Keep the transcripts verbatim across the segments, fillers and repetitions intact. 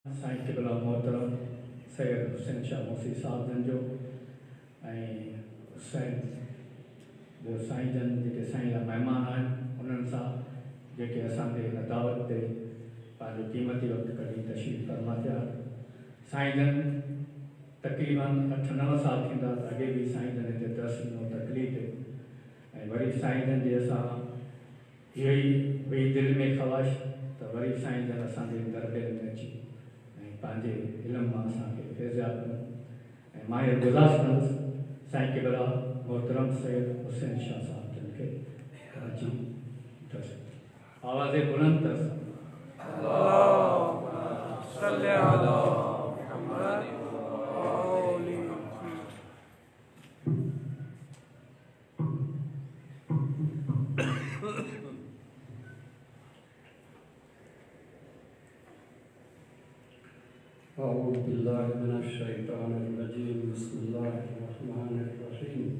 साईं क़िबला मोहतरम सैयद हुसैन शाह मोसी साहब जन जो ऐं हुसैन ॿियो साईं जन जेके साईं लाइ महिमान आहिनि उन्हनि सां जेके असांजे हिन दावत ते पंहिंजो क़ीमती वक़्तु कढी तशरीफ़ फरमा थिया। साईं जन तक़रीबन अठ नव साल थींदा त अॻे बि साईं जन हिते दर्स ॾिनो तकलीफ़ ते ऐं वरी साईं जन जे असां इहो ई हुई दिलि में ख़्वाहिश त वरी साईं जन असांजे दरबेर में अची ऐं पंहिंजे इल्म मां असांखे फैज़ियाब कयूं। ऐं मां इहो गुज़ारिश कंदुसि साईं क़िबला मोहतरम सैयद हुसैन शाह साहब जन खे अची दर्स आवाज़ बुलंद दर्स। अऊज़ु बिल्लाहि मिनश्शैतानिर्रजीम। बिस्मिल्लाहिर्रहमानिर्रहीम।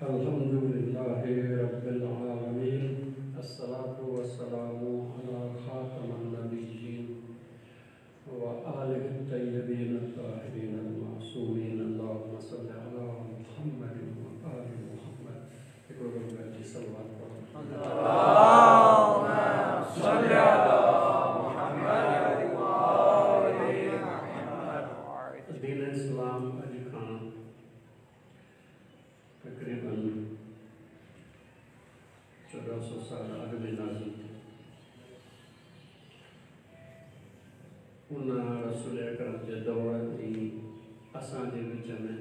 अल्हम्दुलिल्लाहि रब्बिल आलमीन। अस्सलातु वस्सलामु अला खातमिन नबिय्यीन व आलिहि तय्यबीन अत्ताहिरीन अल-मासूमीन। अल्लाहुम्मा सल्लि अला मुहम्मद व आलि मुहम्मद। हिकिड़ो दफ़ो सलवात पढ़ो। अल्लाहुम्मा सल्लि अला मुहम्मद। दीन इस्लाम अॼु खां तक़रीबन चोॾहं सौ साल अॻु में नाज़िल थियो। उन रसूल अकरम जे दौर ऐं असांजे विच में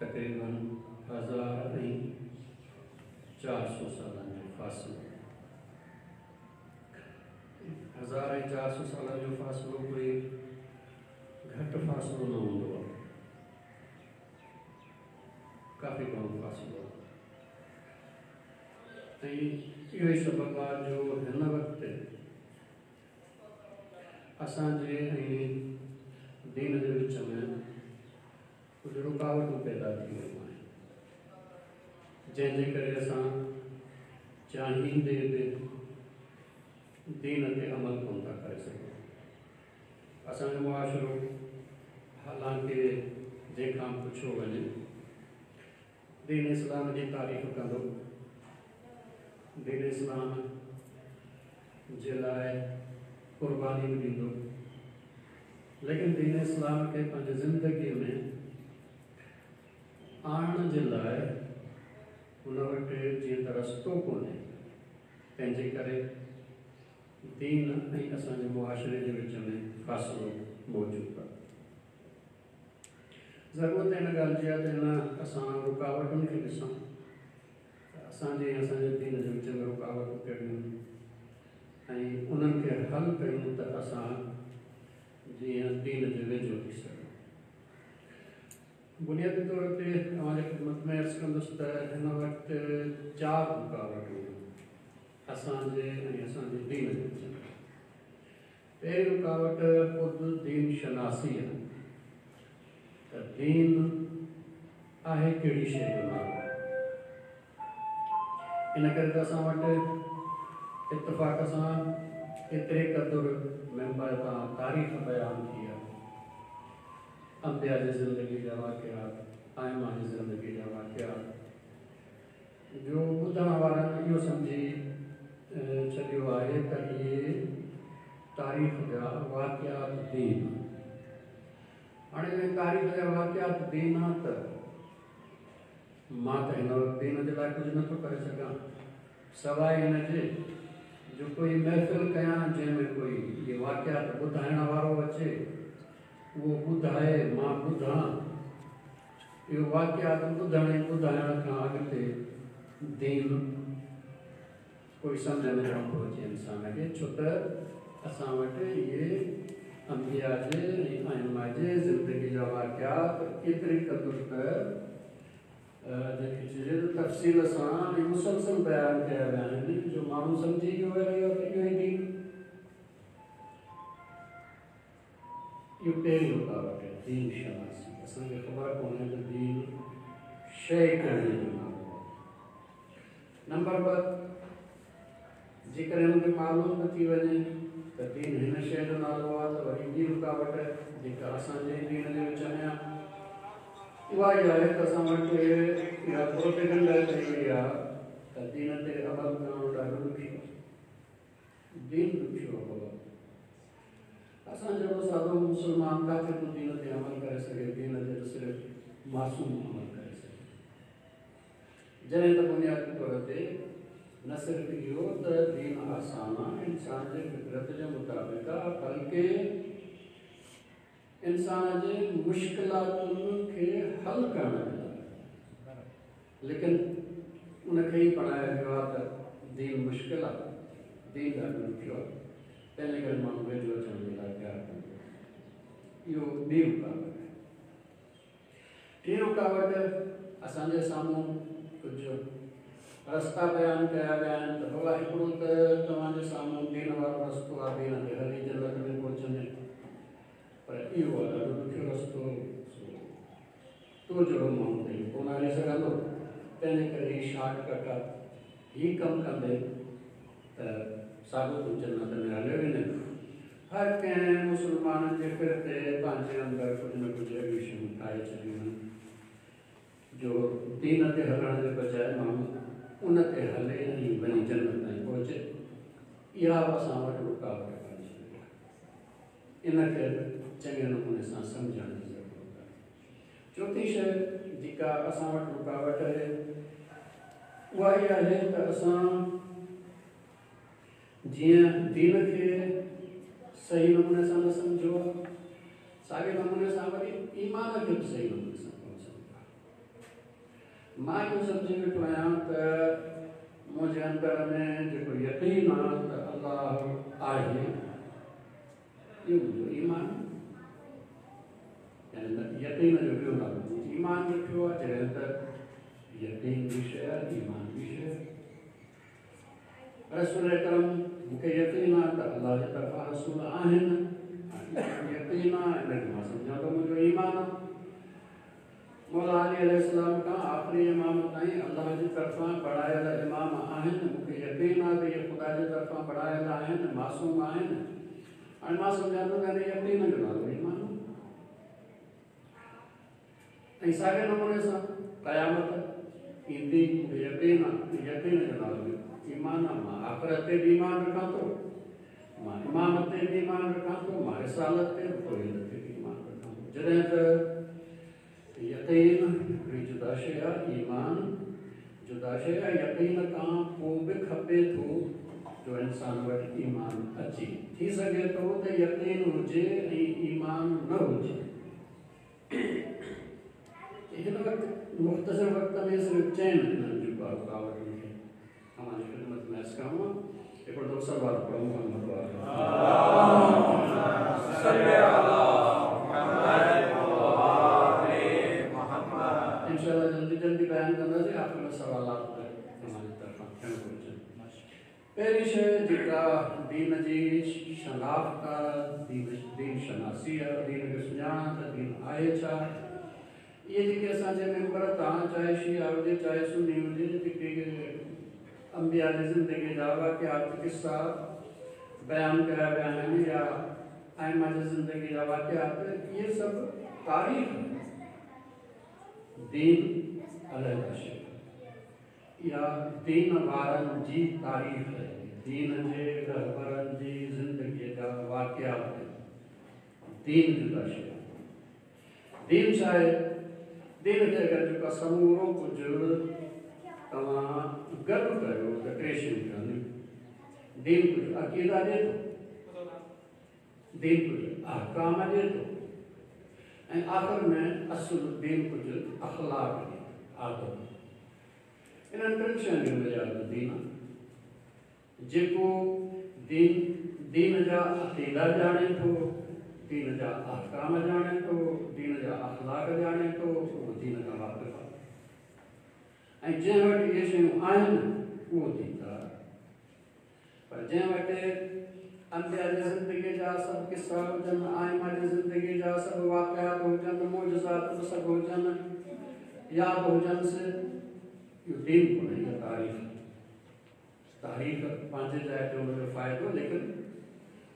तक़रीबन हज़ार ऐं चारि सौ सालनि जो फ़ासिलो, हज़ार ऐं चारि सौ सालनि जो फ़ासिलो कोई घटि फ़ासिलो न हूंदो आहे, काफ़ी घणो फ़ासिलो आहे। ऐं इहो ई सबबु आहे जो हिन वक़्तु असांजे ऐं दीन जे विच में कुझु रुकावटूं पैदा थी वियूं आहिनि, जंहिंजे करे असां चाहींदे बि दीन ते अमल कोन था करे सघूं। असांजो मुआशिरो हालांकि जंहिंखां पुछियो वञे दीन इस्लाम जी तारीफ़ कंदो, दीन इस्लाम जे लाइ क़ुर्बानी बि ॾींदो, लेकिन दीन इस्लाम खे पंहिंजी ज़िंदगीअ में आणण जे लाइ हुन वटि जीअं त रस्तो कोन्हे, तंहिंजे करे दीन ऐं असांजे मुआशिरे जे विच में फ़ासिलो मौजूदु आहे। ज़रूरत हिन ॻाल्हि जी आहे त हिन असां रुकावटुनि खे ॾिसूं, असांजे ऐं असांजे दीन जे विच में रुकावटूं कहिड़ियूं ऐं उन्हनि खे हल कयूं त असां जीअं दीन जे वेझो थी सघूं। बुनियादी तौर ते तव्हांजे ख़िदमत में अर्ज़ु कंदुसि त हिन वक़्तु चारि रुकावटूं असांजे ऐं असांजे दीन जे विच में। पहिरीं रुकावट ख़ुदि दीन शनासी आहे, त दीन आहे कहिड़ी शइ जो नालो। इन करे त असां वटि इतफ़ाक़ सां एतिरे क़दुरु मेंबर तां तारीख़ बयानु थी आहे, अंबिया जी ज़िंदगी जा वाक़िआत, आइमा जी ज़िंदगी जा वाक़िआत, जो ॿुधण वारनि इहो सम्झी छॾियो आहे त इहे तारीख़ जा वाक़िआत दीन। हाणे जॾहिं तारीख़ जा वाक़िआत दीन आहे त मां त हिन वक़्तु दीन जे लाइ कुझु नथो करे सघां, सवाइ हिन जे जो कोई महफ़िल कयां जंहिंमें कोई इहे वाक़िआत ॿुधाइण वारो अचे, उहो ॿुधाए मां ॿुधां। इहो वाक़िआत ॿुधण ऐं ॿुधाइण खां अॻिते दीन कोई सम्झ में कोन थो अचे इंसान खे, छो त असां वटि इहे अंबिया जे ऐं आइमा जे ज़िंदगी जा वाक़िआत एतिरे क़दुरु त जंहिंखे चइजे त तफ़सील सां ऐं मुसलसल बयानु कया विया आहिनि, जो माण्हू सम्झी वियो आहे त इहो ई दीन। इहो पहिरीं रुकावट आहे दीन शनासी। असांखे ख़बर कोन्हे त दीन शइ कहिड़ी जो नालो आहे। नंबर ॿ, जेकॾहिं हुनखे मालूम बि थी वञे त दीन हिन शइ जो नालो आहे त वरी ॿी रुकावट जेका असांजे दीन जे विच में आहे उहा ई आहे त असां वटि इहा प्रोपेगेंडा कई वई आहे त दीन ते अमल करणु ॾाढो ॾुखियो आहे। दीन ॾुखियो आहे बाबा। असां जहिड़ो सादो मुस्लमान किथे थो दीन ते अमल करे सघे? दीन ते त सिर्फ़ु मासूम अमल करे सघे। जॾहिं त बुनियादी तौर ते न सिर्फ़ु इहो त दीन आसान आहे, इंसान जे फितरत जे मुताबिक़ आहे, बल्कि इंसान जे मुश्किलातुनि खे हल करण जे लाइ। लेकिन उनखे ई बणायो वियो आहे त दीन मुश्किल आहे, दीन ॾाढो ॾुखियो आहे, तंहिंजे करे माण्हू वेझो अचण जे लाइ तयारु कंदो। इहो ॿी रुकावट आहे। टीं रुकावट असांजे साम्हूं कुझु रस्ता बयानु कया विया आहिनि त बाबा हिकिड़ो त तव्हांजे साम्हूं दीन वारो रस्तो आहे, दीन ते हली जन्नत में पहुचंदे, पर इहो आहे ॾाढो ॾुखियो रस्तो, तो जहिड़ो माण्हू त इहो कोन हली सघंदो, तंहिंजे करे हीउ शॉर्टकट आहे, हीउ कमु कंदे त साॻियो तूं जन्नत में हलियो वेंदे। हर कंहिं मुस्लमान जे फिर ते पंहिंजे अंदरि कुझु न कुझु अहिड़ियूं शयूं ठाहे छॾियूं आहिनि जो दीन ते हलण जे बजाए माण्हू उन ते हले ऐं वञी जन्नत ताईं पहुचे। इहा बि असां वटि रुकावट बणिजी वई आहे। इन खे बि चङे नमूने सां सम्झण जी ज़रूरत आहे। चौथी शइ जेका असां वटि रुकावट आहे उहा इहा आहे त असां जीअं दीन खे सही नमूने सां न सम्झो आहे, साॻे नमूने सां वरी ईमान खे बि सही नमूने सां कोन सम्झो आहे। मां इहो सम्झी वेठो आहियां त मुंहिंजे अंदरि में जेको यकीन आहे त अलाह आहे, इहो मुंहिंजो ईमान आहे। यकीन जो ॿियो नालो ईमान रखियो आहे, जॾहिं त यकीन बि शइ आहे, ईमान बि शइ आहे। रसूल करम मूंखे यकीन आहे त अलाह जे तरफ़ां रसूल आहिनि, यकीन आहे, इन खे मां सम्झां थो मुंहिंजो ईमान आहे। मौला अली अलैहिस्सलाम खां आख़िरी इमाम ताईं अलाह जे तरफ़ां बणायल इमाम आहिनि, मूंखे यकीन आहे त इहे ख़ुदा जे तरफ़ां बणायल आहिनि, मासूम आहिनि। हाणे मां सम्झां थो त हिन यकीन जो नालो ईमान आहे। ऐं साॻे नमूने सां क़यामत ईंदी, मूंखे यकीन आहे, यकीन जो नालो ईमान आहे। मां आख़िरत ते बि ईमान रखां थो, मां इमामत ते बि ईमान रखां थो, मां रिसालत ते तौहीद ते बि ईमान रखां थो। जॾहिं त यकीन हिकिड़ी जुदा शइ आहे, ईमान जुदा शइ आहे। यकीन खां पोइ बि खपे थो जो इंसान वटि ईमान अचे। थी सघे थो त यकीन हुजे ऐं ईमान न हुजे। हिन वक़्तु मुख़्तसर वक़्त में सिर्फ़ु चइनि इन्हनि जूं रुकावटुनि खे तव्हांजी ख़िदमत में अर्ज़ु करणो आहे। हिकिड़ो दफ़ो सलवात पढ़ूं मोहम्मद वारो। इंशाअल्लाह जल्दी जल्दी बयानु कंदासीं, आख़िर में सवालात तव्हांजी तरफ़ां थियणु घुर्जनि। पहिरीं शइ जेका दीन जी शनाख़्त आहे, दीन दीन शनासी आहे, दीन खे सुञाणा त दीन आहे छा। इहे जेके असांजे मेंबर तव्हां चाहे शिया हुजे चाहे सुन्नी हुजे, जेके अंबिया जी ज़िंदगी जा वाक़िआत किस्सा बयानु कया विया आहिनि या आइमा जी ज़िंदगी जा वाक़िआत, इहे सभु तारीख़ दीन अलहि शइ इहा दीन वारनि जी तारीख़ आहे, दीन जे रहबरनि जी ज़िंदगीअ जा वाक़िआत दीन जुदा शइ। दीन छा आहे? दीन खे अगरि जेको समूरो कुझु तव्हां गॾु कयो त टे शयूं ठहंदियूं। दीन कुझु अक़ीदा ॾिए थो, दीन कुझु अहकाम ॾिए थो, ऐं आख़िर में असुलु दीन कुझु अख़लाक ॾिए थो, आदत। इन्हनि टिनि शयुनि जो बुनियाद दीन आहे। जेको दीन दीन जा अक़ीदा ॼाणे थो, दीन जा अहकाम ॼाणे थो, दीन जा अख़लाक ॼाणे थो, उहो दीन खां वाक़िफ़ आहे। ऐं जंहिं वटि इहे शयूं आहिनि उहो दीनदार। पर जंहिं वटि अंबिया जी ज़िंदगीअ जा सभु किस्सा हुजनि, आइमा जी ज़िंदगीअ जा सभु वाक़िआत हुजनि, मौजज़ात बि सभु हुजनि, यादि हुजनि, इहो दीन कोन्हे, इहा तारीख़। तारीख़ पंहिंजे जाइ ते हुनजो फ़ाइदो, लेकिन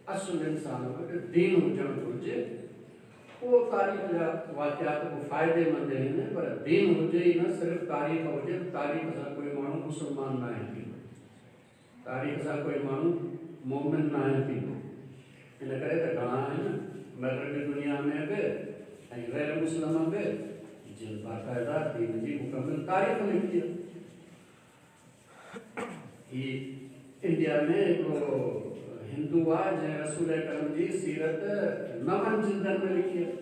असुलु इंसान वटि दीन हुजणु घुरिजे। उहो तारीख़ जा वाक़िआत बि फ़ाइदेमंद आहिनि, पर दीन हुजे ई न, सिर्फ़ु तारीख़ हुजे। तारीख़ सां कोई माण्हू मुस्लमान न आहे थींदो, तारीख़ सां कोई माण्हू मोमिन न आहे थींदो। इन करे त घणा आहिनि मग़रबी दुनिया में बि ऐं गैर मुस्लिम बि जिन बाक़ाइदा दीन जी मुकमल तारीख़ लिखी आहे। हीअ इंडिया में हिकिड़ो हिंदू आहे जंहिं रसूल करम जी सीरत नवनि जिल्दनि में लिखी आहे,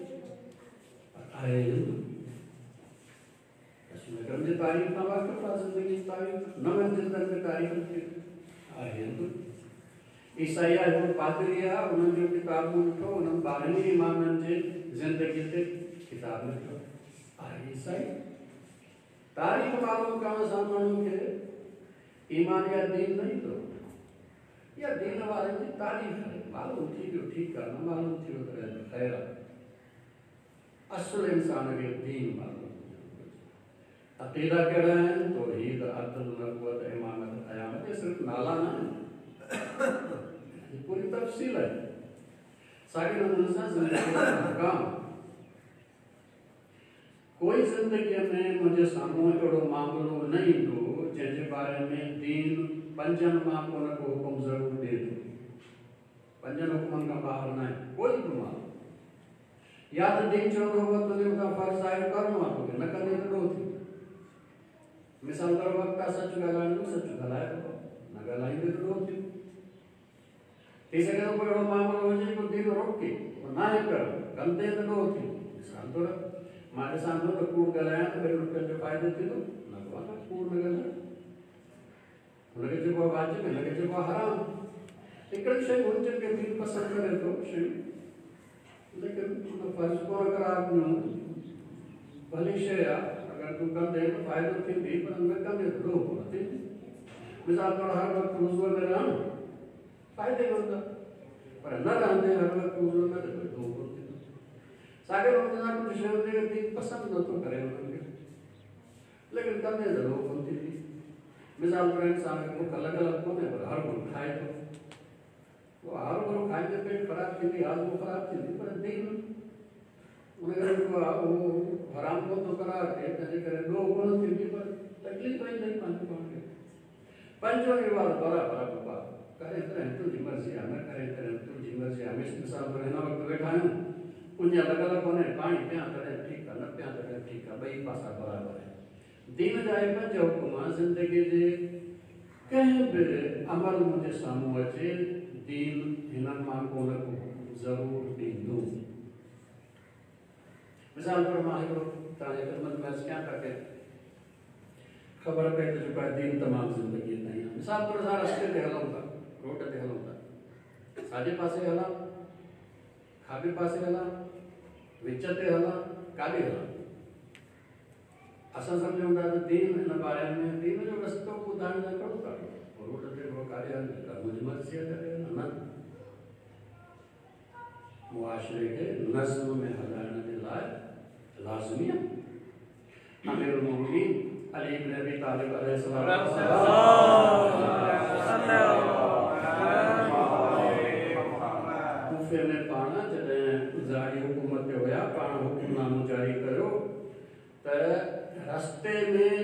आहे हिंदू। रसूल करम जी तारीख़ खां वाक़िफ़ आहे, ज़िंदगी जी तारीख़ नवनि जिल्दनि में तारीख़ लिखी आहे हिंदू। ईसाई आहे, हिकिड़ो पादरी आहे, उन्हनि जो किताबु ॾिठो, उन्हनि ॿारहं इमामनि जे ज़िंदगीअ ते किताबु लिखियो आहे ईसाई। तारीख़ मालूम करण सां माण्हू खे ईमान या दीन न ईंदो, या दीन वारनि जी तारीफ़ आहे। मालूम थी वियो ठीकु आहे, न मालूम थी वियो त ख़ैर आहे। असुलु इंसान खे दीन मालूम हुजणु। अक़ीदा कहिड़ा आहिनि? तौहीद, अदल, नबूवत, इमामत, क़यामत, इहे सिर्फ़ु नाला न आहिनि, पूरी तफ़सील आहे। साॻे नमूने सां ज़िंदगीअ जा अहकाम। कोई ज़िंदगीअ में मुंहिंजे साम्हूं अहिड़ो मामिलो न ईंदो जंहिंजे बारे में दीन पंजनि मां को न को हुकुम ज़रूरु ॾिए थो। पंजनि हुकुमनि खां ॿाहिरि न आहे कोई बि माण्हू। या त दीन चवंदो हुओ तुंहिंजे मथां फ़र्ज़ आहे, करिणो आहे तोखे, न कंदे त ॾोह थींदो। मिसाल तौर वक़्तु आहे सचु ॻाल्हाइण जो, सचु ॻाल्हाइबो, न ॻाल्हाईंदे त ॾोह थींदो। थी सघे थो कोई अहिड़ो मामिलो हुजे जेको दीन रोके, न आहे करणो, कंदे त ॾोह थींदो। मिसाल तौर मां ॾिसां थो त कूड़ ॻाल्हायां त ॿिनि रुपयनि जो फ़ाइदो थींदो, न कूड़ न ॻाल्हाए, हुनखे चइबो आहे वाजिब, हिनखे चइबो आहे हराम। हिकिड़ी शइ हुन जेके दीन पसंदि करे थो शयूं, लेकिन हुन फ़र्ज़ु कोन करार ॾिनो, भली शइ आहे, अगरि तूं कंदे त फ़ाइदो थींदी, पर न कंदे त ॾोह कोन थींदी। मिसाल तौरु हर वक़्तु वुज़ूअ में रहणु फ़ाइदेमंद आहे, पर न रहंदे हर वक़्तु वुज़ूअ में त कोई ॾोह कोन थींदो। साॻे नमूने सां कुझु शयुनि जेके दीन पसंदि नथो करे हुननि खे, लेकिन कंदे त ॾोह कोन थींदी। मिसाल तौरु इंसान खे बुख लॻल कोन्हे, पर हर भरो खाए थो, उहो हर भरो खाईंदे पेट ख़राबु थींदी, हाज़मो ख़राबु थींदी, पर दीन उन करे जेको आहे उहो हराम कोन थो करार थिए, तंहिंजे करे ॾोह कोन थींदी, पर तकलीफ़ ईंदई पंहिंजो पाण खे। पंजो इहो आहे बराबरि बाबा करे तॾहिं तुंहिंजी मर्ज़ी आहे, न करे तॾहिं तुंहिंजी मर्ज़ी आहे। मिसाल तौरु हिन वक़्तु वेठा आहियूं, उञ लॻल कोन्हे, पाणी पियां तॾहिं ठीकु आहे, न पियां तॾहिं ठीकु आहे, ॿई पासा बराबरि आहिनि। दीन जा इहे पंज हुकुम ज़िंदगीअ जे कंहिं बि अमल मुंहिंजे साम्हूं अचे, दीन हिननि मां को न को हुकुम ज़रूरु ॾींदो। मिसाल तौरु मां हिकिड़ो तव्हांजे ख़िदमत में अर्ज़ु कयां ताकी ख़बर पए त जेको आहे दीन तमामु ज़िंदगीअ ताईं आहे। मिसाल तौरु असां रस्ते ते हलूं था, रोड ते हलूं था, साॼे पासे हलां, खाॿे पासे हलां, विच ते हलां, काॾे हलां? असां सम्झूं था त दीन हिन बारे में, दीन जो रस्तो ॿुधाइण लाइ कहिड़ो काॾो, रोड ते काॾे हले, मुंहिंजी मर्ज़ी आहे काॾे हलां, न। मुआशरे खे नज़्म में हलाइण जे लाइ लाज़मी आहे। अमीर उल-मोमिनीन अली इब्न अबी तालिब अलैहिस्सलाम कूफे में पाण जॾहिं ज़ारी हुकूमत ते हुया, पाण हुकुमनामो जारी कयो त रस्ते में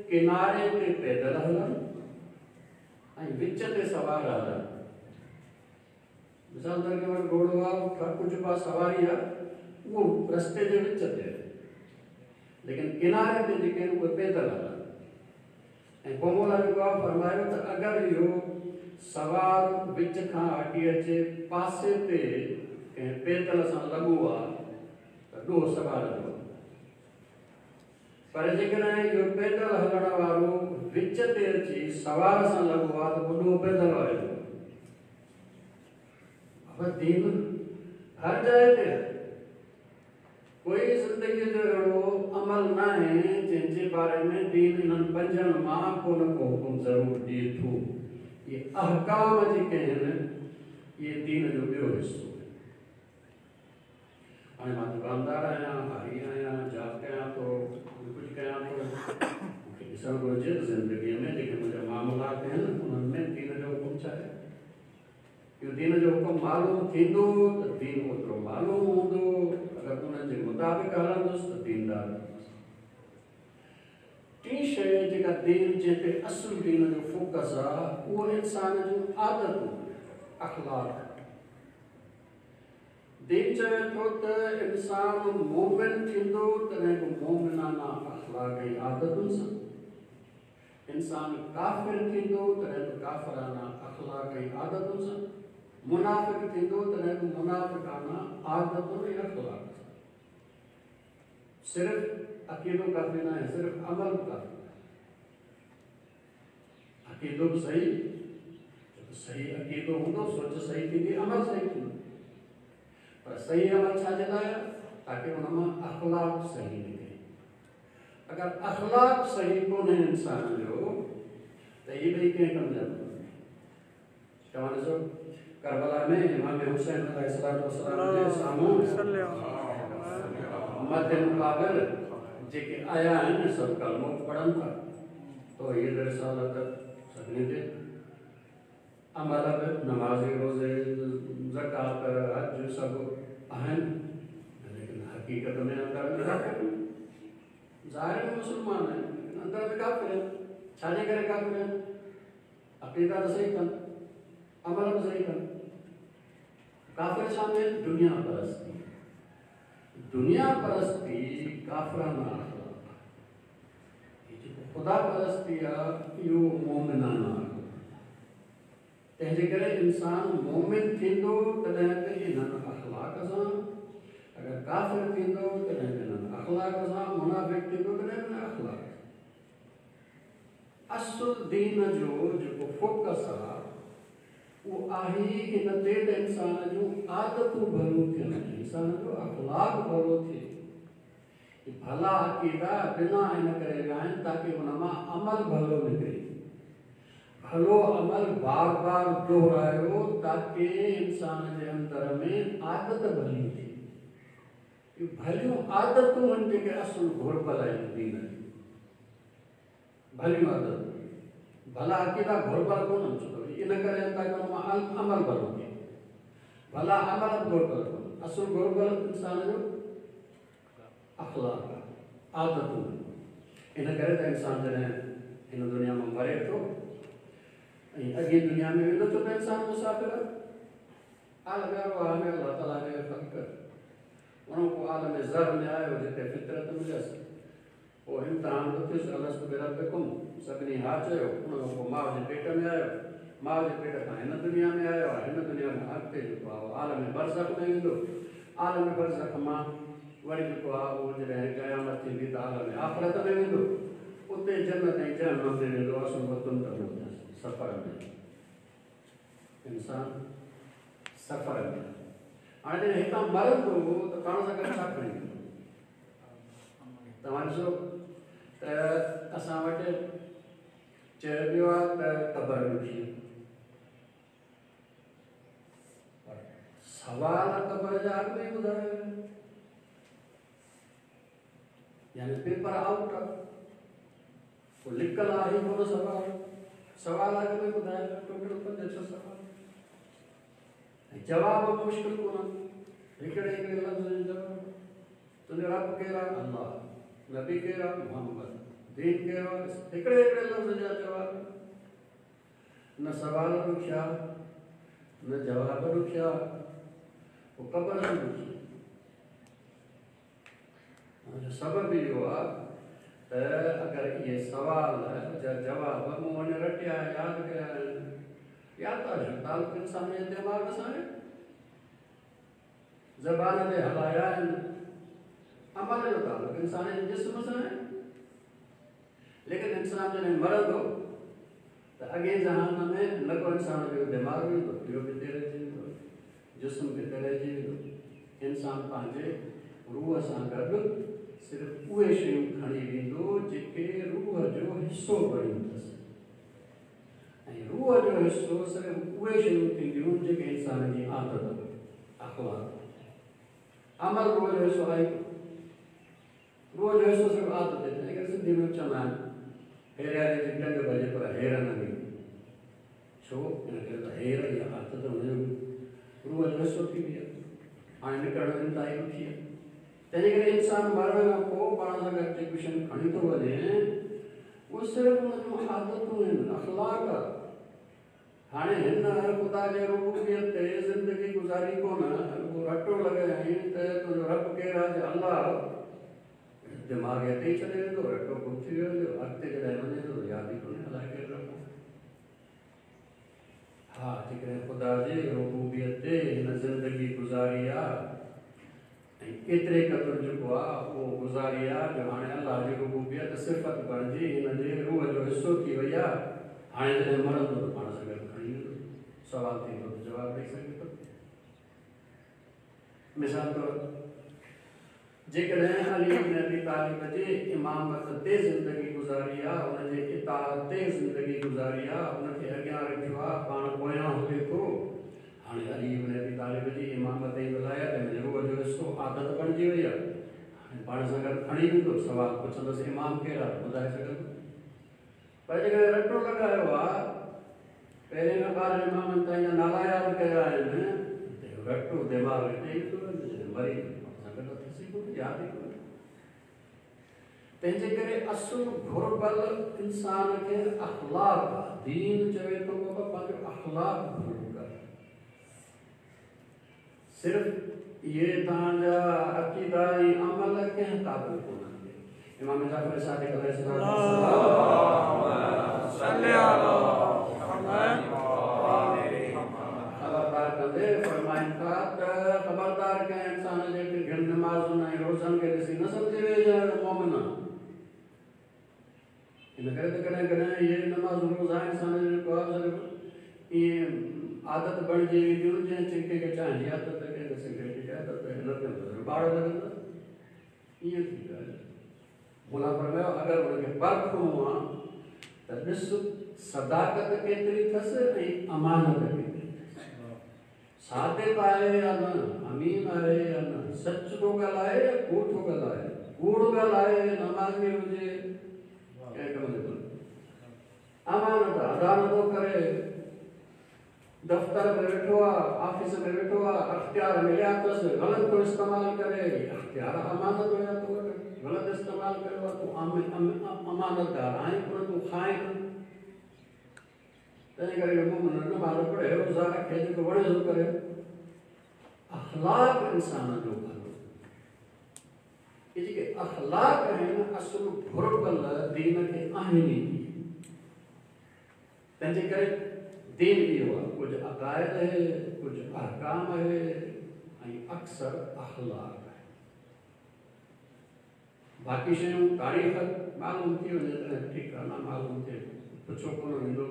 किनारे ते पैदल हलनि ऐं विच ते सवार हलनि। मिसाल तौर कंहिं वटि घोड़ो आहे, कुझु बि आहे, सवारी आहे, उहो रस्ते जे विच ते आहे, लेकिन किनारे ते जेके आहिनि उहे पैदल हलनि। ऐं पोइ मौला जेको आहे फरमायो त अगरि इहो सवार विच खां हटी अचे पासे ते कंहिं पैदल सां लॻो आहे त ॾोह सवार जो, पर जेकॾहिं इहो पैदल हलण वारो विच ते अची सवार सां लॻो आहे त पोइ ॾोह पैदल वारे जो। दीन हर जाइ ते आहे, कोई ज़िंदगीअ जो अहिड़ो अमल न आहे जंहिंजे बारे में दीन इन्हनि पंजनि मां को न को हुकुम ज़रूरु ॾिए थो। इहे अहकाम जेके आहिनि इहे दीन जो ॿियो हिसो आहे। हाणे मां दुकानदार आहियां, हारी आहियां, जॉब कयां थो, कुझु कयां थो, मूंखे ॾिसणु घुरिजे त ज़िंदगीअ में जेके मुंहिंजा मामलात आहिनि उन्हनि में दीन इहो दीन जो हुकुम मालूम थींदो त दीन ओतिरो मालूम हूंदो, अगरि उन्हनि जे मुताबिक़ हलंदुसि त दीनदार थींदुसि। टीं शइ जेका दीन जंहिं ते असुल दीन जो फोकस आहे उहो इंसान जूं आदतूं, अख़लाक। दीन चवे थो त इंसान मोमिन थींदो तॾहिं बि मोमिनाना अख़लाक ऐं आदतुनि सां, इंसान काफ़िर थींदो तॾहिं बि काफ़राना अख़लाक ऐं आदतुनि सां, मुनाफ़िक थींदो तॾहिं बि मुनाफ़िकाना आदतुनि ऐं अख़लाक सां। सिर्फ़ अक़ीदो काफ़ी न आहे, सिर्फ़ अमल बि काफ़ी न आहे। अक़ीदो बि सही, सही अक़ीदो हूंदो, सोच सही थींदी, अमल सही थींदो, पर सही अमल छा जे लाइ आहे? ताकि उन मां अख़लाक सही निकिरे। अगरि अख़लाक सही कोन्हे इंसान जो त इहे ॿई कंहिं कम जा कोन्हे। तव्हां ॾिसो करबला में इमाम हुसैन अलैहिस्सलाम जे साम्हूं मद मुक़ाबिल जेके आया आहिनि सभु कलमो पढ़नि था, तौहीद रिसालत सभिनी ते अमल बि नमाज़, रोज़े, ज़कात, हज सभु आहिनि, लेकिन हक़ीक़त में अंदरि में काफ़िर, ज़ाहिर में मुस्लमान आहिनि लेकिन अंदरि में काफ़िर आहिनि। छाजे करे काफ़िर आहिनि? अक़ीदा त सही कनि, अमल बि सही कनि। काफ़िर छा में? दुनिया परस्ती। दुनिया परस्ती काफ़राना अख़लाक, जेको ख़ुदा परस्ती आहे इहो मोमिनाना अख़लाक। तंहिंजे करे इंसान मोमिन थींदो तॾहिं बि इन्हनि अख़लाक सां, अगरि काफ़िर थींदो तॾहिं बि इन्हनि अख़लाक सां, मुनाफ़िक थींदो तॾहिं बि इन्हनि अख़लाक। असुल दीन जो जेको फोकस आहे उहो आहे इन ते त इंसान जूं आदतूं भलियूं थियनि, इंसान जो अख़लाक भलो थिए। भला अक़ीदा बिना इन करे विया आहिनि ताकि उन मां अमल भलो निकिरे। भलो अमल बार बार दोहरायो ताकि इंसान जे अंदरि में आदत भली थिए। भलियूं आदतूं आहिनि जेके असुल घुर्बल आहिनि दीन जूं, भलियूं आदतूं। भला अक़ीदा घुर्बल कोन्हनि, छो त इन करे ताकि उन मां अमल भलो थिए। भला अमल बि घुर्बल कोन्हनि, असुल घुर्बल इंसान जो अख़लाक आहे, आदतूं। इन करे त इंसान जॾहिं हिन दुनिया मां मरे थो ऐं अॻी दुनिया में वेंदो, छो त इंसान मुसाफ़िर आहे। आलम अरवाह में अलाह ताला जे ख़ल्क़, उन पोइ आलम ज़र में आयो जिते फितरत मिलियसि, पोइ इम्तिहान बि थियुसि, अलस्तु बिरब्बिकुम, सभिनी हा चयो। उन खां पोइ माउ जे पेट में आयो, माउ जे पेट खां हिन दुनिया में आयो आहे, हिन दुनिया खां अॻिते जेको आहे आलम बरज़ख में वेंदो। आलम बरज़ख मां वरी जेको आहे उहो जॾहिं क़यामत थींदी त आलम आख़िरत में वेंदो, उते जन्नत ऐं जहन्नम में वेंदो। असुल वतन त उहो सफ़र में, इंसान सफ़र में। हाणे जॾहिं हितां मरंदो त पाण सां गॾु छा खणी वेंदो? तव्हां ॾिसो त असां वटि चयो वियो आहे त क़बर ॾुखी, पर सवाल क़बर जा अॻु में ॿुधायो, यानी पेपर आउट आहे, पोइ लिकल आहे कोन सवाल, सवाल अॻु में ॿुधायो, टोटल पंज छह सवाल, जवाब बि मुश्किल कोन्हनि, हिकिड़े हिकिड़े लफ़्ज़ जो जवाबु। तुंहिंजो रब केरु आहे? अल्लाह। नबी केरु आहे? मोहम्मद। दीन केरु आहे? हिकिड़े हिकिड़े लफ़्ज़ जा जवाब। न सवाल ॾुखिया न जवाब ॾुखिया, पोइ क़बर बि ॾुखी। सबबु इहो आहे त अगरि इहे सवाल जा जवाब मूं वञी रटिया यादि कया आहिनि, या त तालुक़ इंसान जे दिमाग़ सां आहे, ज़बान ते हलाया आहिनि, अमल जो तालुक़ इंसान जे जिस्म सां आहे। लेकिन इंसान जॾहिं मरंदो त अॻे जहान में न को इंसान जो दिमाग़ वेंदो, इहो बि हिते रहिजी वेंदो, जिस्म बि हिते रहिजी वेंदो। इंसान पंहिंजे रूह सां गॾु सिर्फ़ उहे शयूं खणी वेंदो जेके रूह जो हिसो बणियूं अथसि, ऐं रूह जो हिसो सिर्फ़ उहे शयूं थींदियूं जेके इंसान जी आदत अख़लाक। अमल रूह जो हिसो आहे, रूह जो हिसो सिर्फ़ आदत आहे। तंहिंजे सिंधी में चवंदा आहिनि हेरियारे जी टंग भॼे पर हेर न ॾींदी, छो? हिन करे त हेर इहा आदत हुनजो हिसो थी वई आहे। हाणे निकिरणु इंतिहाई ॾुखी आहे। तंहिंजे करे इंसान मरण खां पोइ पाण सां गॾु जेकी शयूं खणी थो वञे उहे सिर्फ़ु हुन जूं आदतूं आहिनि, अख़लाक आहे। हाणे हिन ख़ुदा जे रुबूबियत ते ज़िंदगी गुज़ारी कोन, रुॻो रटो लॻायईं त तुंहिंजो रब केरु आहे? अलाह। दिमाग़ हिते ई छॾे वेंदो, रटो गुम थी वियो, अॻिते जॾहिं वञे थो यादि ई कोन्हे अलाए केरु रब। हा, जेकॾहिं ख़ुदा जे रुबूबियत ते हिन ज़िंदगी गुज़ारी आहे ऐं केतिरे क़दुरु जेको आहे उहो गुज़ारी आहे जो हाणे अलाह जी रुबूबियत सिफ़त बणिजी हिन जे रूह जो हिसो थी वई आहे। हाणे जॾहिं मरंदो त पाण सां गॾु खणी वेंदो, सवाल थींदो त जवाबु ॾेई सघे थो। मिसाल तौरु जेकॾहिं अली इब्न अबी तालिब जे इमामत ते ज़िंदगी गुज़ारी आहे, हुनजे इताअत ते ज़िंदगी गुज़ारी आहे, हुनखे अॻियां रखियो आहे, पाण पोयां हले थो। हाणे अली इब्न अबी तालिब जी इमामत ऐं विलायत हिन रूह जो हिसो आदत बणिजी वई आहे। हाणे पाण सां गॾु खणी वेंदो, सवाल पुछंदुसि इमाम केरु आहे, ॿुधाए सघंदो। पर जेकॾहिं रटो लॻायो आहे, पहिरें खां ॿारहं इमामनि ताईं जा नाला यादि कया आहिनि, त रटो दिमाग़ हिते ई थो वञे, मरी यादि ई कोन्हे। तंहिंजे करे असुलु घुर्बल इंसान खे अख़लाक आहे। दीन चवे थो बाबा पंहिंजो अख़लाक भलो कर। सिर्फ़ इहे तव्हांजा अक़ीदा ऐं अमल कंहिं क़ाबिल कोन्हनि। इमाम जाफ़र सादिक़ अलैहिस्सलाम ख़बरदार कंदे फरमाइनि था त ख़बरदार कंहिं इंसान जे घिन नमाज़ुनि ऐं रोज़नि खे ॾिसी न सम्झे वेही मोमिन। इन करे त कॾहिं कॾहिं इहे नमाज़ूं रोज़ा इंसान जो जेको आहे सिर्फ़ु ईअं आदत बणिजी वेंदियूं, जंहिं कंहिंखे चांहि जी आदत, कंहिंखे सिगरेट जी आदत, हिन ते ॿार लॻंदा, ईअं थी वियो आहे। मुला फरमायो अगरि हुनखे परखणो आहे त ॾिस सदाकत केतिरी अथसि ऐं अमानत केतिरी अथसि, सादिक़ आहे या न, अमीन आहे या न, सच थो ॻाल्हाए या कूड़ थो ॻाल्हाए, कूड़ ॻाल्हाए नमाज़ी हुजे कंहिं कम जो कोन्हे, अमानत अदा नथो करे, दफ़्तर में वेठो आहे, ऑफिस में वेठो आहे, अख़्तियार मिलिया अथसि, ग़लति थो इस्तेमालु करे, अख़्तियार अमानत हुया तो वटि, ग़लति इस्तेमालु कयो आहे, तूं अमानतदार आहीं पर तूं खाए। तंहिं करे नमाज़ पढ़े, रोज़ा रखे, जेको वणे सो करे। अख़लाक इंसान जो भलो, इहे जेके अख़लाक आहिनि असुलु घुर्बल दीन खे आहिनि ई। तंहिंजे करे दीन इहो आहे, कुझु अक़ाइद आहे, कुझु अहकाम आहे ऐं अक्सर अख़लाक आहे। बाक़ी शयूं तारीख़ मालूम थी वञे तॾहिं ठीकु आहे, न मालूम थिए पुछो कोन वेंदो।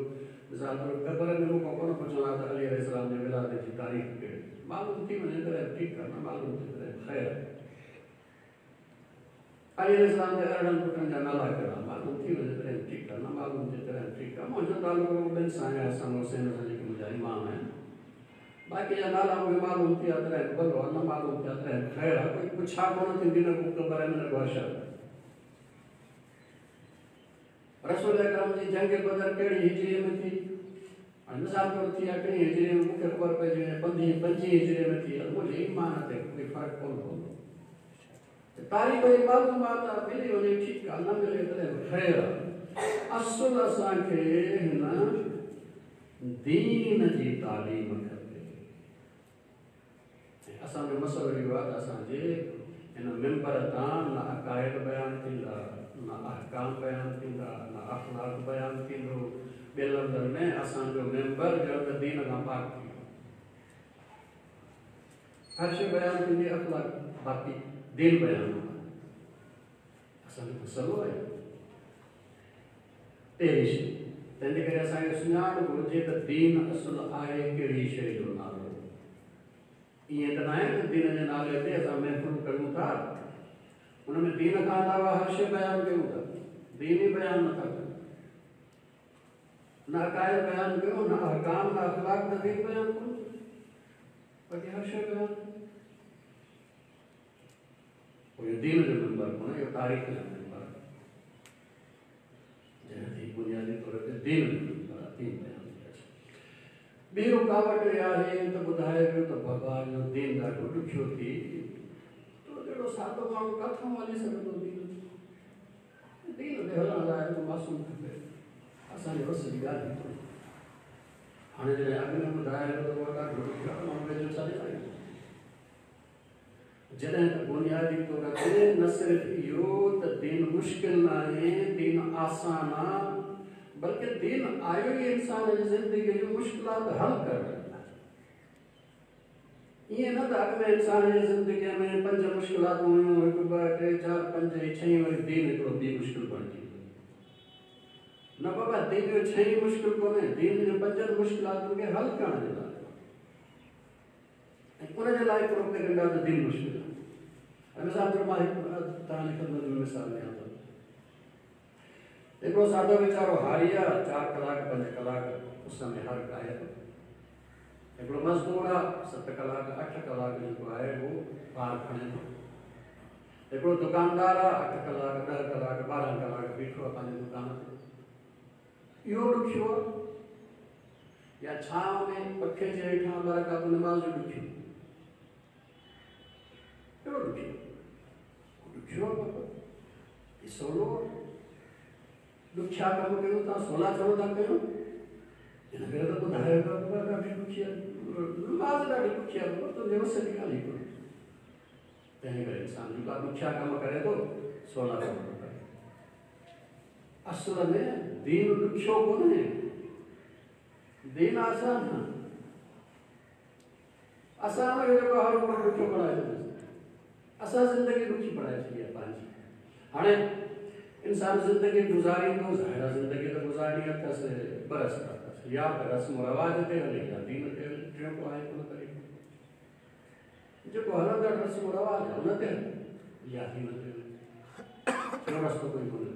मिसाल तौरु क़बर में मूंखां कोन पुछंदा त अली अलैहिस्सलाम जे विलादत जी तारीख़ कहिड़ी, मालूम थी वञे तॾहिं ठीकु आहे, न मालूम थिए तॾहिं ख़ैर। अली अलैहिस्सलाम जे अरिड़हं पुटनि जा नाला कहिड़ा, मालूम थी वञे तॾहिं ठीकु आहे, न मालूम थिए तॾहिं ठीकु आहे। मुंहिंजो तालुकु ॿिनि सां आहे, हसन हुसैन सां, जेके मुंहिंजा इमाम आहिनि। बाक़ी जा नाला मूंखे मालूम थी विया तॾहिं भलो आहे, न मालूम थिया तॾहिं ख़ैर आहे। कोई पुछा कोन थींदी, न को क़बर में, न को हशर। रसूल अकरम जी जंग बदर कहिड़ी हिजरी में थी? हाणे मिसाल तौरु थी आहे टीह हिजरी में, मूंखे ख़बर पइजी वञे पंजवीह पंजवीह हिजरी में थी, मुंहिंजे ईमान ते कोई फ़र्क़ु कोन पवंदो। तारीख़ जी मालूमात मिली वञे ठीकु आहे, न मिले तॾहिं ख़ैर आहे। असुलु असांखे हिन दीन जी तालीम खपे। ऐं असांजो मसइलो इहो आहे त असांजे हिन मेंबर तां न अक़ाइद बयानु थींदा, न अहकाम बयानु थींदा, न अख़लाक बयानु थींदो। ॿिए लफ़्ज़नि में असांजो मेंबर ॼण त दीन खां पाक थी वियो। हर शइ बयानु थींदी अख़लाक, बाक़ी दीन बयानु असांजो मसइलो आहे। पहिरीं शइ तंहिंजे करे असांखे सुञाणु घुरिजे त दीन असुलु आहे कहिड़ी शइ जो नालो। ईअं त न आहे त दीन जे नाले ते असां महफ़िल कयूं था, हुन में दीन खां अलावा हर शइ बयानु कयूं था, दीन ई बयानु नथा कयूं, न अक़ाइद बयानु कयूं, न अहकाम, न अख़लाक, न दीन बयानु कोन, बाक़ी हर शइ बयानु। इहो दीन जो मेंबर कोन्हे, इहो तारीख़ जो मेंबर आहे, जंहिं बुनियादी तौर ते दीन जो मेंबर आहे, दीन बयानु। ॿी रुकावट इहा आहे त ॿुधाए पियो त बाबा ॾुखियो थी, तो जहिड़ो सादो माण्हू किथां हली सघंदो? दीन दीन ते हलण लाइ मासूम खपे, असांजे वस जी ॻाल्हि ई कोन्हे। हाणे जॾहिं अॻु में ॿुधायो त उहो ॾाढो ॾुखियो आहे, माण्हू वेझो छा ॾिसाईंदो? जॾहिं त बुनियादी तौर ते न सिर्फ़ु इहो त दीन मुश्किल न आहे, दीन आसान आहे, बल्कि दीन आयो ई इंसान जी ज़िंदगीअ जूं मुश्किलात हल करण लाइ। ईअं न त अॻु में इंसान जी ज़िंदगीअ में पंज मुश्किलात हुयूं, हिकु ॿ टे चारि पंज, छई, वरी दीन हिकिड़ो ॿी मुश्किल बणिजी वई। न बाबा, दीन जो छई मुश्किल कोन्हे, दीन जो पंजनि मुश्किलातुनि खे हल करण जे लाइ ऐं उन जे लाइ प्रोपेगेंडा त दीन मुश्किल आहे। मिसाल तौर मां हिकु तव्हांजी ख़िदमत में मिसाल ॾियां थो। हिकिड़ो सादो वीचारो हारी आहे, चारि कलाक पंज कलाक उस में हर काए थो। हिकिड़ो मज़दूर आहे, सत कलाक अठ कलाक जेको आहे उहो ॿार खणे थो। हिकिड़ो दुकानदार आहे, अठ कलाक ॾह कलाक ॿारहं कलाक बीठो आहे पंहिंजे दुकान ते। इहो ॾुखियो आहे या छांव में पखे जे हेठां ॿ रकात नमाज़ जो ॾुखियो? कहिड़ो ॾुखियो? ॾुखियो आहे बाबा, हीउ सवलो आहे। ॾुखिया कम कयूं था, सवला कम था कयूं, हिन करे त ॿुधायो बाबा ॾाढी ॾुखी आहे नमाज़, ॾाढी ॾुखी आहे बाबा, तुंहिंजे वस जी ॻाल्हि ई कोन्हे। तंहिं करे इंसान जेका ॾुखिया कम करे थो, सवला कम थो करे। असल में दीन ॾुखियो कोन्हे, दीन आसान आहे। असां हुनखे जेको हर उमिरि ॾुखियो बणाए छॾियोसीं, असां ज़िंदगी ॾुखी बणाए छॾी आहे पंहिंजी। हाणे इंसान ज़िंदगी गुज़ारींदो, ज़ाहिर आहे ज़िंदगी त गुज़ारणी अथसि, ॿ रस्ता अथसि, या त रस्म रिवाज ते हले या दीन ते हले। टियों को आहे कोन तरीक़ो, जेको हलंदड़ रस्म रिवाज आहे उन ते हले या दीन ते हले, टियों रस्तो कोई कोन्हे।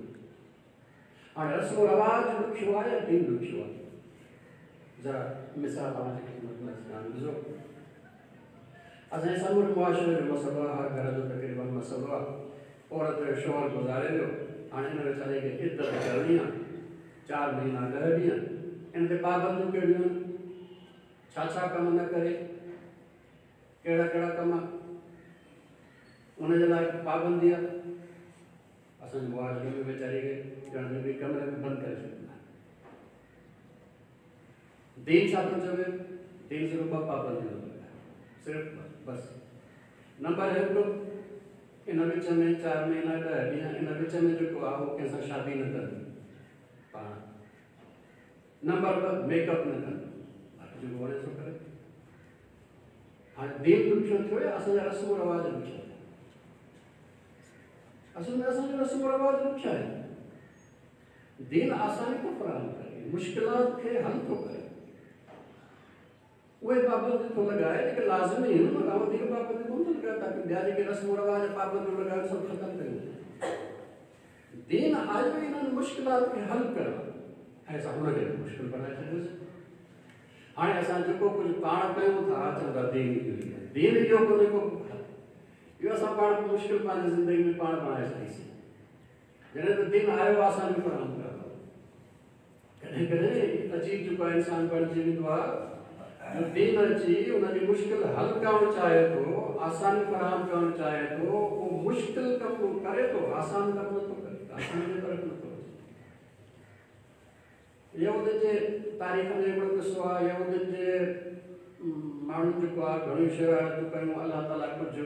हाणे रस्म रिवाज ॾुखियो आहे या दीन ॾुखियो आहे? ज़रा मिसाल तव्हांजी ख़िदमत में ॾिसो, असांजे समूरे मुआशिरे जो मसइलो आहे, हर घर जो तक़रीबन मसइलो आहे। औरत जो शौहर गुज़ारे वियो, हाणे हिन वीचारे खे इद्दत करणी आहे, चारि महीना ॾह ॾींहं। इन ते पाबंदियूं कहिड़ियूं आहिनि? छा छा कम न करे, कहिड़ा कहिड़ा कम उन जे लाइ पाबंदी आहे। असांजे मुआशिरे में वीचारे खे ॼण बि कमरे में बंदि करे छॾींदा आहिनि। दीन छा थो चवे? दीन सिर्फ़ ॿ पाबंदियूं थो लॻाए, सिर्फ़ बसि। नंबर हिकु, इन विच में चारि महीना ॾह ॾींहं, इन विच में जेको आहे उहो कंहिंसां शादी न कंदी पाण। नंबर ॿ, मेकअप न कंदी, बाक़ी जेको वणे सो करे। हाणे दीन ॾुखियो थियो या असांजा रस्म रिवाज ॾुखिया थिया? असल में असांजो रस्म रिवाज ॾुखिया आहिनि। दीन आसानी थो फराहम करे, मुश्किलात खे हल थो करे, उहे पाबंदी थो लॻाए जेके लाज़मी आहिनि, मगर वधीक पाबंदी कोन थो लॻाए ताकी ॿिया जेके रस्म रिवाज पाबंदियूं लॻाइनि सभु ख़तमु कयूं। दीन आयो इन्हनि मुश्किलात खे हल करण ऐं असां हुनखे मुश्किल बणाए छॾियोसीं। हाणे असां जेको कुझु पाण कयूं था, चऊं था दीन इहो ई आहे। दीन इहो कोन्हे को, इहो असां पाण मुश्किल पंहिंजी ज़िंदगी में पाण बणाए छॾीसीं। जॾहिं त दीन आयो आसानी फराहम करणु। कॾहिं कॾहिं अजीब जेको आहे इंसान बणिजी वेंदो आहे, जो दीन अची उनजी मुश्किल हल करणु चाहे थो, आसानी फराहम करणु चाहे थो, उहो मुश्किल कमु करे थो, आसान कमु नथो करे, आसानी जे तरफ़ नथो अचे। यहूदनि जे तारीख़ में हिकिड़ो क़िसो आहे, यहूदनि जे माण्हुनि जेको आहे घणियूं शरारतूं कयूं, अलाह ताला कुझु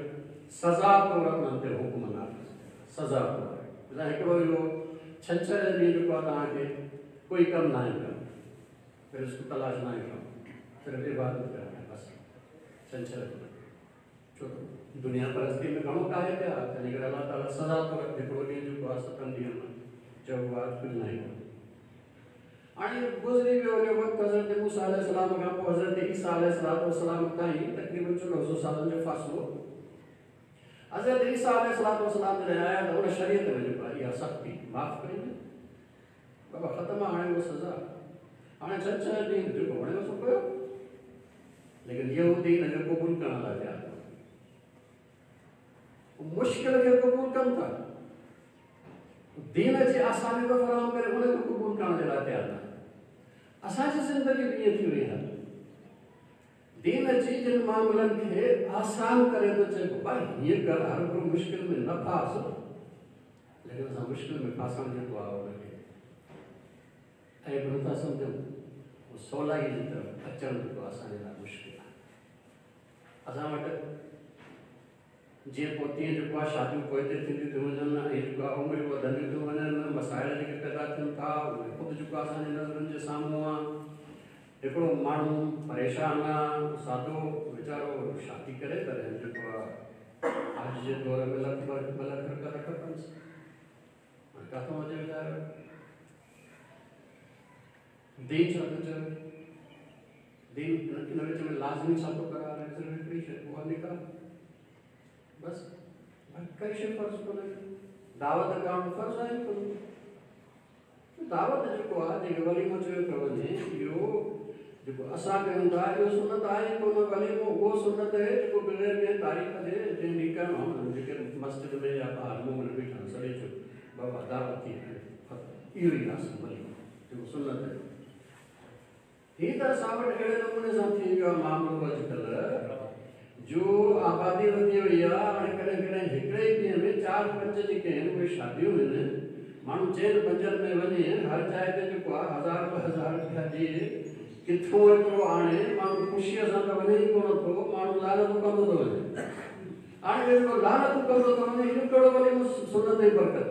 सज़ा तौर उन्हनि ते हुकुम नाफ़िज़ कयो, सज़ा तौर। हिकिड़ो इहो छंछर जे ॾींहुं जेको आहे तव्हांखे कोई कमु नाहे करणो, रिज़्क तलाश नाहे करणो, सिर्फ़ इबादत करणी आहे बसि। छंछर छो त दुनिया परस्ती में घणो काहे पिया, तंहिंजे करे अलाह ताला सज़ा तौर हिकिड़ो ॾींहुं जेको आहे सतनि ॾींहनि में चओ आहे कुझु नाहे करणो। हाणे गुज़री वियो हुयो वक़्तु हज़रत मूसा अलैहिस्सलाम खां पोइ हज़रत ईसा अलैहिस्सलाम ताईं तक़रीबन चोॾहं सौ सालनि जो फ़ासिलो। हज़रत ईसा अलैहिस्सलाम जॾहिं आया त हुन शरीयत में जेको आहे इहा सख़्ती माफ़ करी वई, बाबा ख़तमु आहे हाणे उहा सज़ा, हाणे छह छह ॾींहुं जेको वणे सो कयो। लेकिन यहूदी हिन खे क़बूल करण लाइ तयारु न, मुश्किल खे क़बूल कनि था, दीन जी आसानी थो फराहम करे उनखे क़बूल करण जे लाइ तयारु न। असांजी ज़िंदगी बि ईअं थी वई आहे, दीन अची जिन मामलनि खे आसान करे थो चए बाबा हीअं कर, हर को मुश्किल में न फास, लेकिन असां मुश्किल में फासण जेको आहे हुनखे ऐं बि नथा सम्झूं। उहो सवलाई जी तरफ़ अचणु जेको असांजे लाइ मुश्किल आहे। असां वटि जीअं पोइ तीअं जेको आहे शादियूं पोइ ते थींदियूं थियूं वञनि ऐं जेको आहे उमिरियूं वधंदियूं थियूं वञनि, मसाइल जेके पैदा थियनि था उहे ख़ुदि जेको असांजी नज़रुनि जे साम्हूं आहे। हिकिड़ो माण्हू परेशान आहे, सादो वीचारो शादी करे तॾहिं जेको आहे अॼु जे दौर में लख ॿ लख रुपया था खपनि, किथां अचे वीचारो? दीन छा थो चवे? दीन इन विच में लाज़मी छा थो करारे? सिर्फ़ु हिकिड़ी शइ, उहा निकाह, बसि कई शइ फ़र्ज़ कोन्हे। दावत करणु फ़र्ज़ आहे कोन। दावत जेको आहे जेके वलीमो चयो पियो वञे, इहो जेको असां कयूं था इहो सुनत आहे कोन। वलीमो उहो सुनत आहे जेको बग़ैर कंहिं तारीख़ जे जंहिं ॾींहुं करणो आहे, जेके मस्जिद में या ॿाहिरि मुंहं में बीठा आहिनि सॾे चयो बाबा दावत थी, इहो ई आहे वलीमो जेको सुनत आहे। हीअ त असां वटि अहिड़े नमूने सां थी वियो आहे मामिलो अॼुकल्ह, जो आबादी वधी वई आहे। हाणे कॾहिं कॾहिं हिकिड़े ई ॾींहं में चारि पंज जेके आहिनि उहे शादियूं आहिनि। माण्हू चइनि पंजनि में वञे, हर जाइ ते जेको आहे हज़ार ॿ हज़ार रुपया ॾिए, किथों एतिरो आणे माण्हू ख़ुशीअ सां त वञे ई कोन थो, माण्हू लालत कंदो थो वञे। हाणे जेको लालत कंदो थो वञे, इहो कहिड़ो वञे सुनत जी बरकत?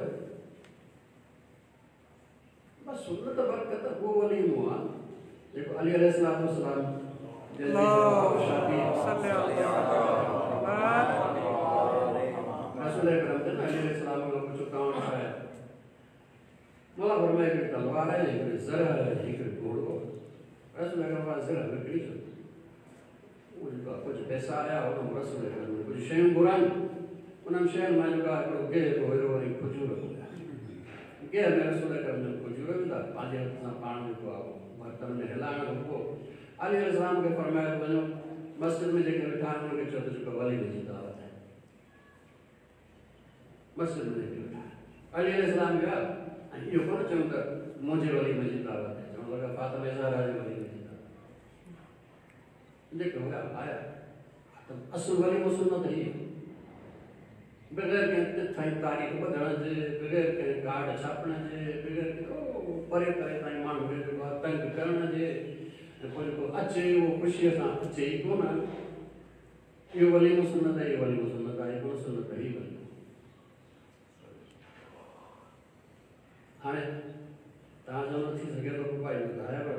बसि सुनत बरकत उहो वलीमो आहे जेको अली अलैहिस्सलाम रसूल अकरम जन अली अलैहिस्सलाम खां पुछो तव्हां छा आहे? मौला फरमाए हिकिड़ी तलवार आहे, हिकिड़ी ज़रह आहे, हिकिड़ी घोड़ो। रसूल अकरम ज़रह विकिणी छो, उहो जेको आहे कुझु पैसा आया हुन रसूल अकरम कुझु शयूं घुरायूं, उन्हनि शयुनि मां जेको आहे हिकिड़ो गेह बि हुयो ऐं खजूर बि हुया। गेह में रसूल अकरम जन खजूर विधा, पंहिंजे हथ सां पाण जेको आहे बर्तन में हिलाइण खां पोइ अली अलैहिस्सलाम खे फरमायो वञो मस्जिद में जेके वेठा आहिनि हुनखे चओ त जेको वलीमे जी दावत आहे। मस्जिद में जेके वेठा आहिनि अली अलैहिस्सलाम विया ऐं इहो कोन चयूं त मुंहिंजे वलीमे जी दावत आहे, चवण लॻा फातिमा ज़हरा जे वलीमे जी दावत। जेके हुया आया त असुलु वलीमो सुन्नत हीअ, बग़ैर कंहिं तिथ ऐं तारीख़ ॿधण जे, बग़ैर कंहिं कार्ड छापण जे, बग़ैर परे परे ताईं माण्हू खे जेको आहे तंग करण जे, ऐं पोइ जेको अचे उहो ख़ुशीअ सां अचे ई कोन। इहो वलीमो सुन्नत आहे, इहो वलीमो सुन्नत आहे, कोन सुन्नत आहे वलीमो। हाणे तव्हां चवंदो थी सघे थो भाई ॿुधायो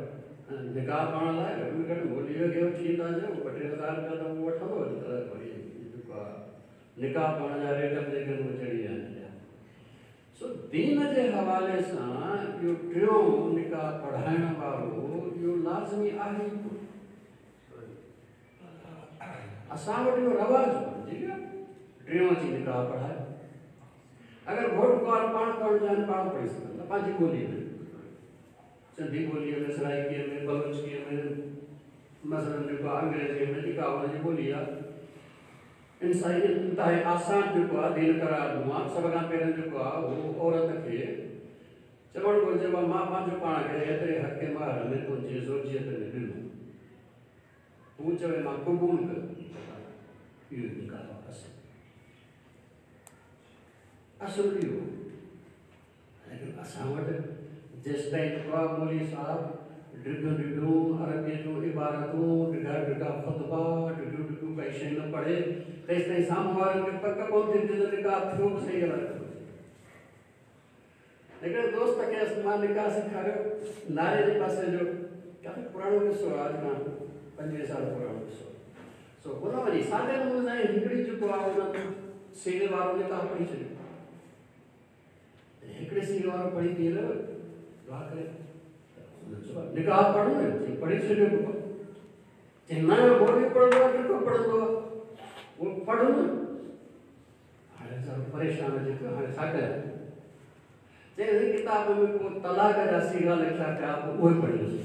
निकाह पढ़ण लाइ घटि में घटि मोलीअ खे वठी ईंदा चयो ॿ टे हज़ार रुपया त उहो वठंदो। अॼुकल्ह वरी जेको आहे निकाह पढ़ण जा रेट बि जेके आहिनि उहे चढ़ी विया आहिनि। सो दीन जे हवाले सां इहो टियों निकाह पढ़ाइण वारो इहो लाज़मी आहे ई कोन। असां वटि इहो रवाजु बणिजी वियो आहे, टियों अची निकाह पढ़ाए। अगरि घोट कुंवार पाण पढ़णु चाहिनि पाण पढ़ी सघनि था पंहिंजी ॿोलीअ में, सिंधी ॿोलीअ में, सराइकीअ में, बलोचकीअ में, मसलन जेको आहे अंग्रेज़ीअ में जेका हुनजी ॿोली आहे। इंसानी इंतिहाई आसान जेको आहे दीन करार ॾिनो आहे। सभ खां पहिरियों जेको आहे उहो औरत खे चवणु घुरिजे मां पंहिंजो पाण खे एतिरे हक़ महर में तुंहिंजी ज़ोजियत में ॾिनो, तूं चवे मां क़बूल कयो, इहो निकाह असुलु असुलु इहो। लेकिन असां वटि जेसि ताईं जेको आहे मौलवी साहिबु डिघियूं डिघियूं अरबीअ जूं इबारतूं, डिघा डिघा ख़ुतबा, डिघियूं डिघियूं काई शइ न पढ़े, तेसि ताईं साम्हूं वारनि खे पक कोन थींदी त निकाह थियो बि सही अलाए थो। हिकिड़े दोस्त खे मां निकाह सेखारियो नारे जे पासे जो, काफ़ी पुराणो क़िसो आहे, अॼु खां पंजवीह साल पुराणो क़िसो। सो हुन वरी सादे नमूने सां हिकिड़ी जेको आहे हुन सीने वारो निकाह पढ़ी छॾियो। हिकिड़े सीने वारो पढ़ी थी दुआ करे निकाह पढ़ो, पढ़ी छॾियो। चई न मौलवी पढ़ंदो आहे, केको पढ़ंदो आहे, उहो पढ़ो न। हाणे ज़रा परेशान अची पियो, हाणे छा कयां? चई हिन किताब में को तलाक जा सीगा लिखिया पिया, पोइ उहे पढ़ियोसीं।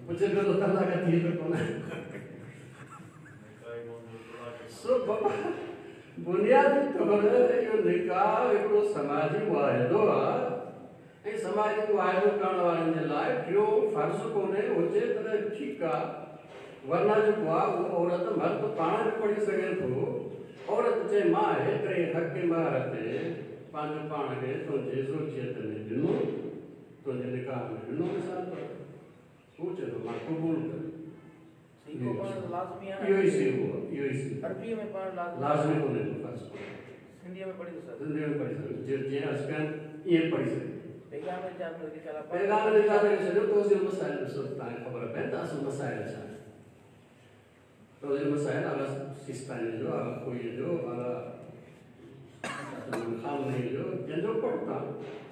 पुछे पियो त तलाक थी त कोन। सो बाबा बुनियादी तौर इहो निकाह हिकिड़ो समाजी मुआहिदो आहे। ऐं समाजी मुआहिदो करण वारनि जे लाइ टियों फ़र्ज़ु कोन्हे हुजे तॾहिं ठीकु आहे, वरना जेको आहे उहो औरत मर्द पाण बि पढ़ी सघे थो। औरत चए मां हेतिरे हक़ महर ते पंहिंजो पाण खे तुंहिंजे ज़ोजियत में ॾिनो, तुंहिंजे निकाह में ॾिनो। मिसाल तौरु हू चए थो मां क़बूल कयो, इहो ई सीगो आहे, इहो ई सीगो लाज़मी कोन्हे, फ़र्ज़ु कोन्हे। सिंधीअ में पढ़ी सघे, सिंधीअ में पढ़ी सघे, जीअं अर्ज़ु कयनि ईअं पढ़ी सघे। पैगाम निजात ॾेई छॾियो। तोज़िल मसाइल ॾिसो तव्हांखे ख़बर पए त असल मसाइल छा आहिनि। तोज़िल मसाइल आगा सिस्तानी जो, आगा कोई जो, आगा खामनी जो, जंहिंजो पढ़ो तव्हां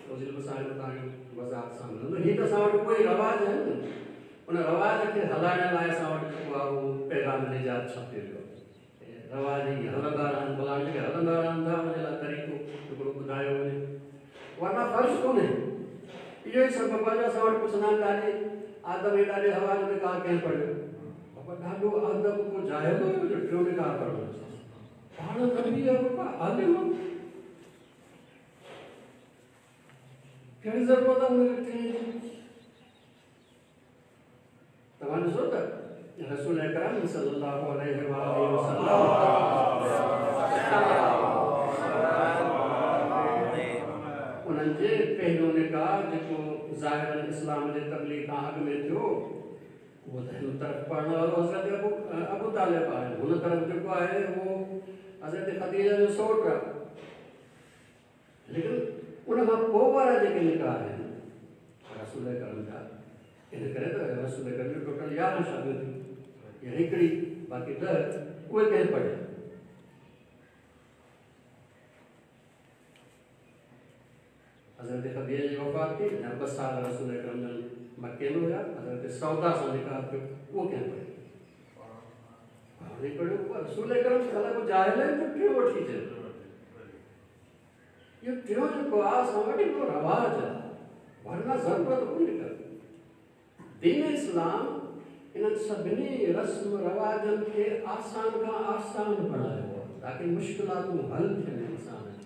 तोज़िल मसाइल तव्हांखे वज़ाहत सां मिलंदो। हीअ त असां वटि कोई रवाज आहे न, उन रवाज खे हलाइण लाइ असां वटि जेको आहे उहो पैगाम निजात छापे वियो आहे। रवाज ई हलंदा रहनि, भला जेके हलंदा रहनि था उनजे लाइ तरीक़ो हिकिड़ो ॿुधायो वञे, वरना फ़र्ज़ु कोन्हे। इहो ई सबबु आहे जो असां वटि पुछंदा आहिनि ॾाॾी आदम ऐं ॾाॾी हवा जो निकाह कंहिं पढ़ियो? बाबा ॾाढो आदम को जाहिल हुयो जो टियों निकाह पढ़ियो। पाण नबी आहे बाबा, आलिम, कहिड़ी ज़रूरत आहे हुनखे टियों जी? तव्हां ॾिसो त रसूल अकरम सल्लल्लाहु अलैहि वसल्लम उन्हनि जे पहिरियों निकाह जेको ज़ाहिरन इस्लाम जे तबलीग खां अॻु में थियो, उहो त हिन तरफ़ पढ़ण वारो हज़रत अबू अबू तालिब आहे, हुन तरफ़ जेको आहे उहो हज़रत ख़दीजा जो सौट आहे। लेकिन उन खां पोइ वारा जेके निकाह आहिनि रसूल करम जा, इन करे त रसूल करम जो टोटल यारहं शादियूं थियूं, या हिकिड़ी बाक़ी ॾह उहे कंहिं पढ़िया? हज़रत ख़दीजा जी वफ़ात थी, अञा ॿ साल रसूल करम जन मक्के में हुया। हज़रत सौदा सां निकाह थियो, उहो कंहिं पढ़ियो? पाण ई पढ़ियो। रसूल करम अलाए को जाहिल आहे त टियों वठी अचे। इहो टियों जेको आहे असां वटि हिकिड़ो रवाज आहे, वरना ज़रूरत कोन्हे का। दीन इस्लाम इन्हनि सभिनी रस्म रवाजनि खे आसान खां आसान बणायो आहे ताकी मुश्किलातूं हल थियनि इंसान जूं।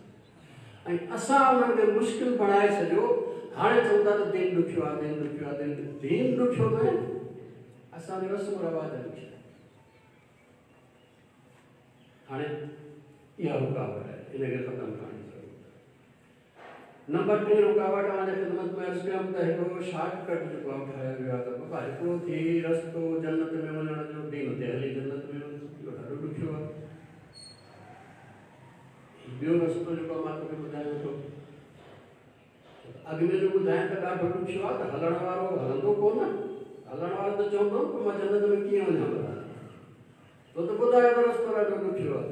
ऐं असां उन्हनि खे मुश्किल बणाए छॾियो। हाणे चऊं था त दीन ॾुखियो आहे, दीन ॾुखियो आहे, दीन दीन ॾुखियो न आहे, असांजो रस्म रवाज ॾुखिया। हाणे इहा रुकावट आहे, इन खे ख़तमु करण जी ज़रूरत आहे। नंबर टे रुकावट अव्हांजे ख़िदमत में अर्ज़ु कयमि त हिकिड़ो शॉर्टकट जेको आहे ठाहियो वियो आहे त बाबा हिकिड़ो थी रस्तो जन्नत में वञण जो, दीन ते हली जन्नत में वञो, इहो ॾाढो ॾुखियो आहे। ॿियो रस्तो जेको मां तोखे ॿुधायां थो, अॻु में जो ॿुधायां त ॾाढो ॾुखियो आहे त हलण वारो हलंदो कोन, हलण वारो त चवंदो पोइ मां जन्नत में कीअं वञा? तो त ॿुधायो त रस्तो ॾाढो ॾुखियो आहे।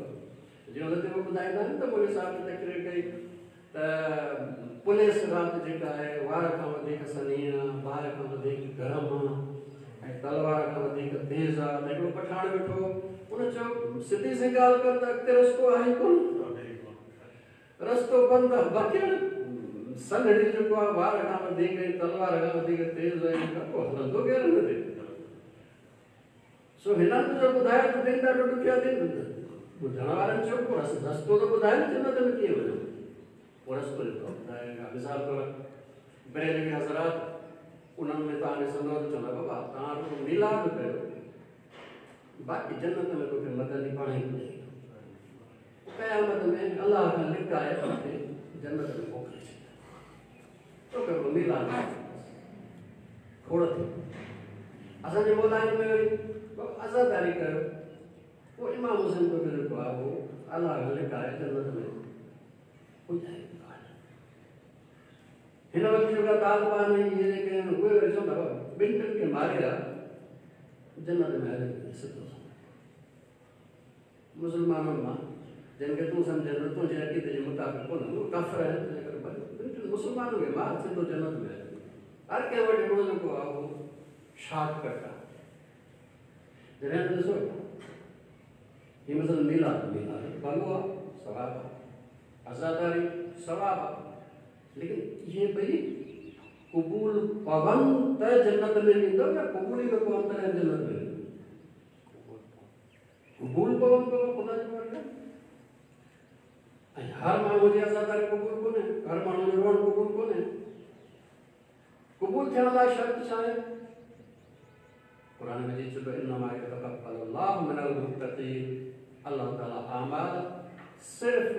जीअं हुन ते ॿुधाईंदा आहिनि त मौलवी साहिब तकरीर कई त पुलिस राति जेका आहे वार खां वधीक सनी आहे, बाहि खां वधीक गरम आहे ऐं तलवार खां वधीक तेज़ आहे। त हिकिड़ो पठाण वेठो, हुन चयो सिधी सी ॻाल्हि कर त अॻिते रस्तो आहे कोन, रस्तो बंदि आहे। बाक़ी सनड़ी जेको आहे वार खां वधीक ऐं तलवार खां वधीक तेज़ आहे, पोइ हलंदो केरु हिन ते? सो हिननि जो ॿुधायो त दिन ॾाढो ॾुखियो आहे। दिन ॿुधण वारनि चयो पोइ रस्तो त ॿुधाए न जन्नत में कीअं वञो? पोइ रस्तो जेको ॿुधाए। मिसाल तौरु बरेलवी हज़रात उन्हनि में तव्हां ॾिसंदव त चवंदा बाबा तव्हां रुॻो मिलाद कयो, बाक़ी जन्नत में तोखे मदनी पाण ई पुॼाईंदो। क़यामत में अलाह खां लिकाए तोखे जन्नत में मोकिले छॾींदो, तोखे रुॻो मिलाद खोड़ थियो। असांजे मौलाइन में वरी आज़ादारी कयो, पोइ इमाम हुसैन तोखे जेको आहे उहो अलाह खां लिकाए जन्नत में पुॼाईंदो। हिन वक़्तु जेका तालिबान इहे जेके आहिनि उहे वरी चवंदा ॿिनि टिनि खे मारे आहे जन्नत में हले सिधो। मुसलमाननि मां जिन खे तूं सम्झे थो तुंहिंजे अक़ीदे जे मुताबिक़ कोन, उहे काफ़िर आहिनि, तंहिंजे करे ॿिनि टिनि मुसलमाननि खे मार सिधो जन्नत में हले। हर कंहिं वटि हिकिड़ो जेको आहे उहो शॉर्टकट आहे। जॾहिं ॾिसो हीअ मसलो मिलाद, मिलाद भलो आहे, सवाबु आहे, आज़ादारी सवाबु आहे, लेकिन इहे ॿई क़बूल पवनि त जन्नत में वेंदव या क़बूल ई न पवनि तॾहिं जन्नत में वेंदव? क़बूल पवनि त ख़ुदा जी मर्ज़ी। ऐं हर माण्हूअ जी आज़ादारी क़बूल कोन्हे, हर माण्हूअ जो रोअणु क़बूल कोन्हे। थियण लाइ शर्त छा आहे? क़ुरान मजीद चए थो इन्नमा यतक़ब्बलुल्लाहु मिनल मुत्तक़ीन, अल्लाह ताला आमाल सिर्फ़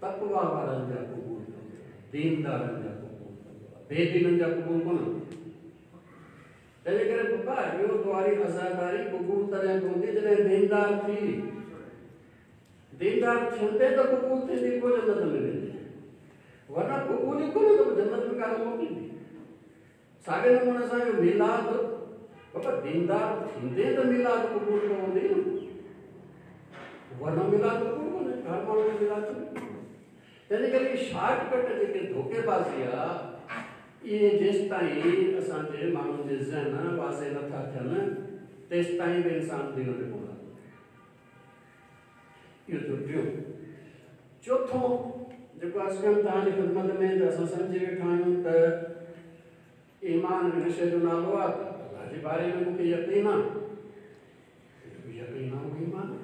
तक़वा वारनि जा क़बूल कंदो आहे, दीनदारनि जा क़बूल कंदो आहे, बेदीननि जा क़बूल कोन। तंहिंजे करे बाबा इहो तुम्हारी अज़ादारी क़बूल तॾहिं पवंदी जॾहिं दीनदार थी, दीनदार थींदे त क़बूल थींदी, पोइ जन्नत में वेंदी, वरना क़बूल ई कोन त जन्नत में कान मोकिलींदी। साॻे नमूने सां इहो मीलाद बाबा दीनदार थींदे त मीलाद क़बूल पवंदी न, वरना मीलाद क़बूल कोन्हे, हर माण्हू खे मीलाद थोरी। तंहिंजे करे शॉर्टकट जेके धोखेबाज़ी आहे इहे जेसि ताईं असांजे माण्हुनि जे ज़हन वाज़े नथा थियनि तेसि ताईं बि इंसान दीन ते कोन। इहो थियो टियों। चोथों जेको अर्ज़ु कयमि तव्हांजी ख़िदमत में त असां सम्झी वेठा आहियूं त ईमान इन शइ जो नालो आहे त अल्लाह जे बारे में मूंखे यकीन आहे, यकीन आहे उहो ईमान आहे।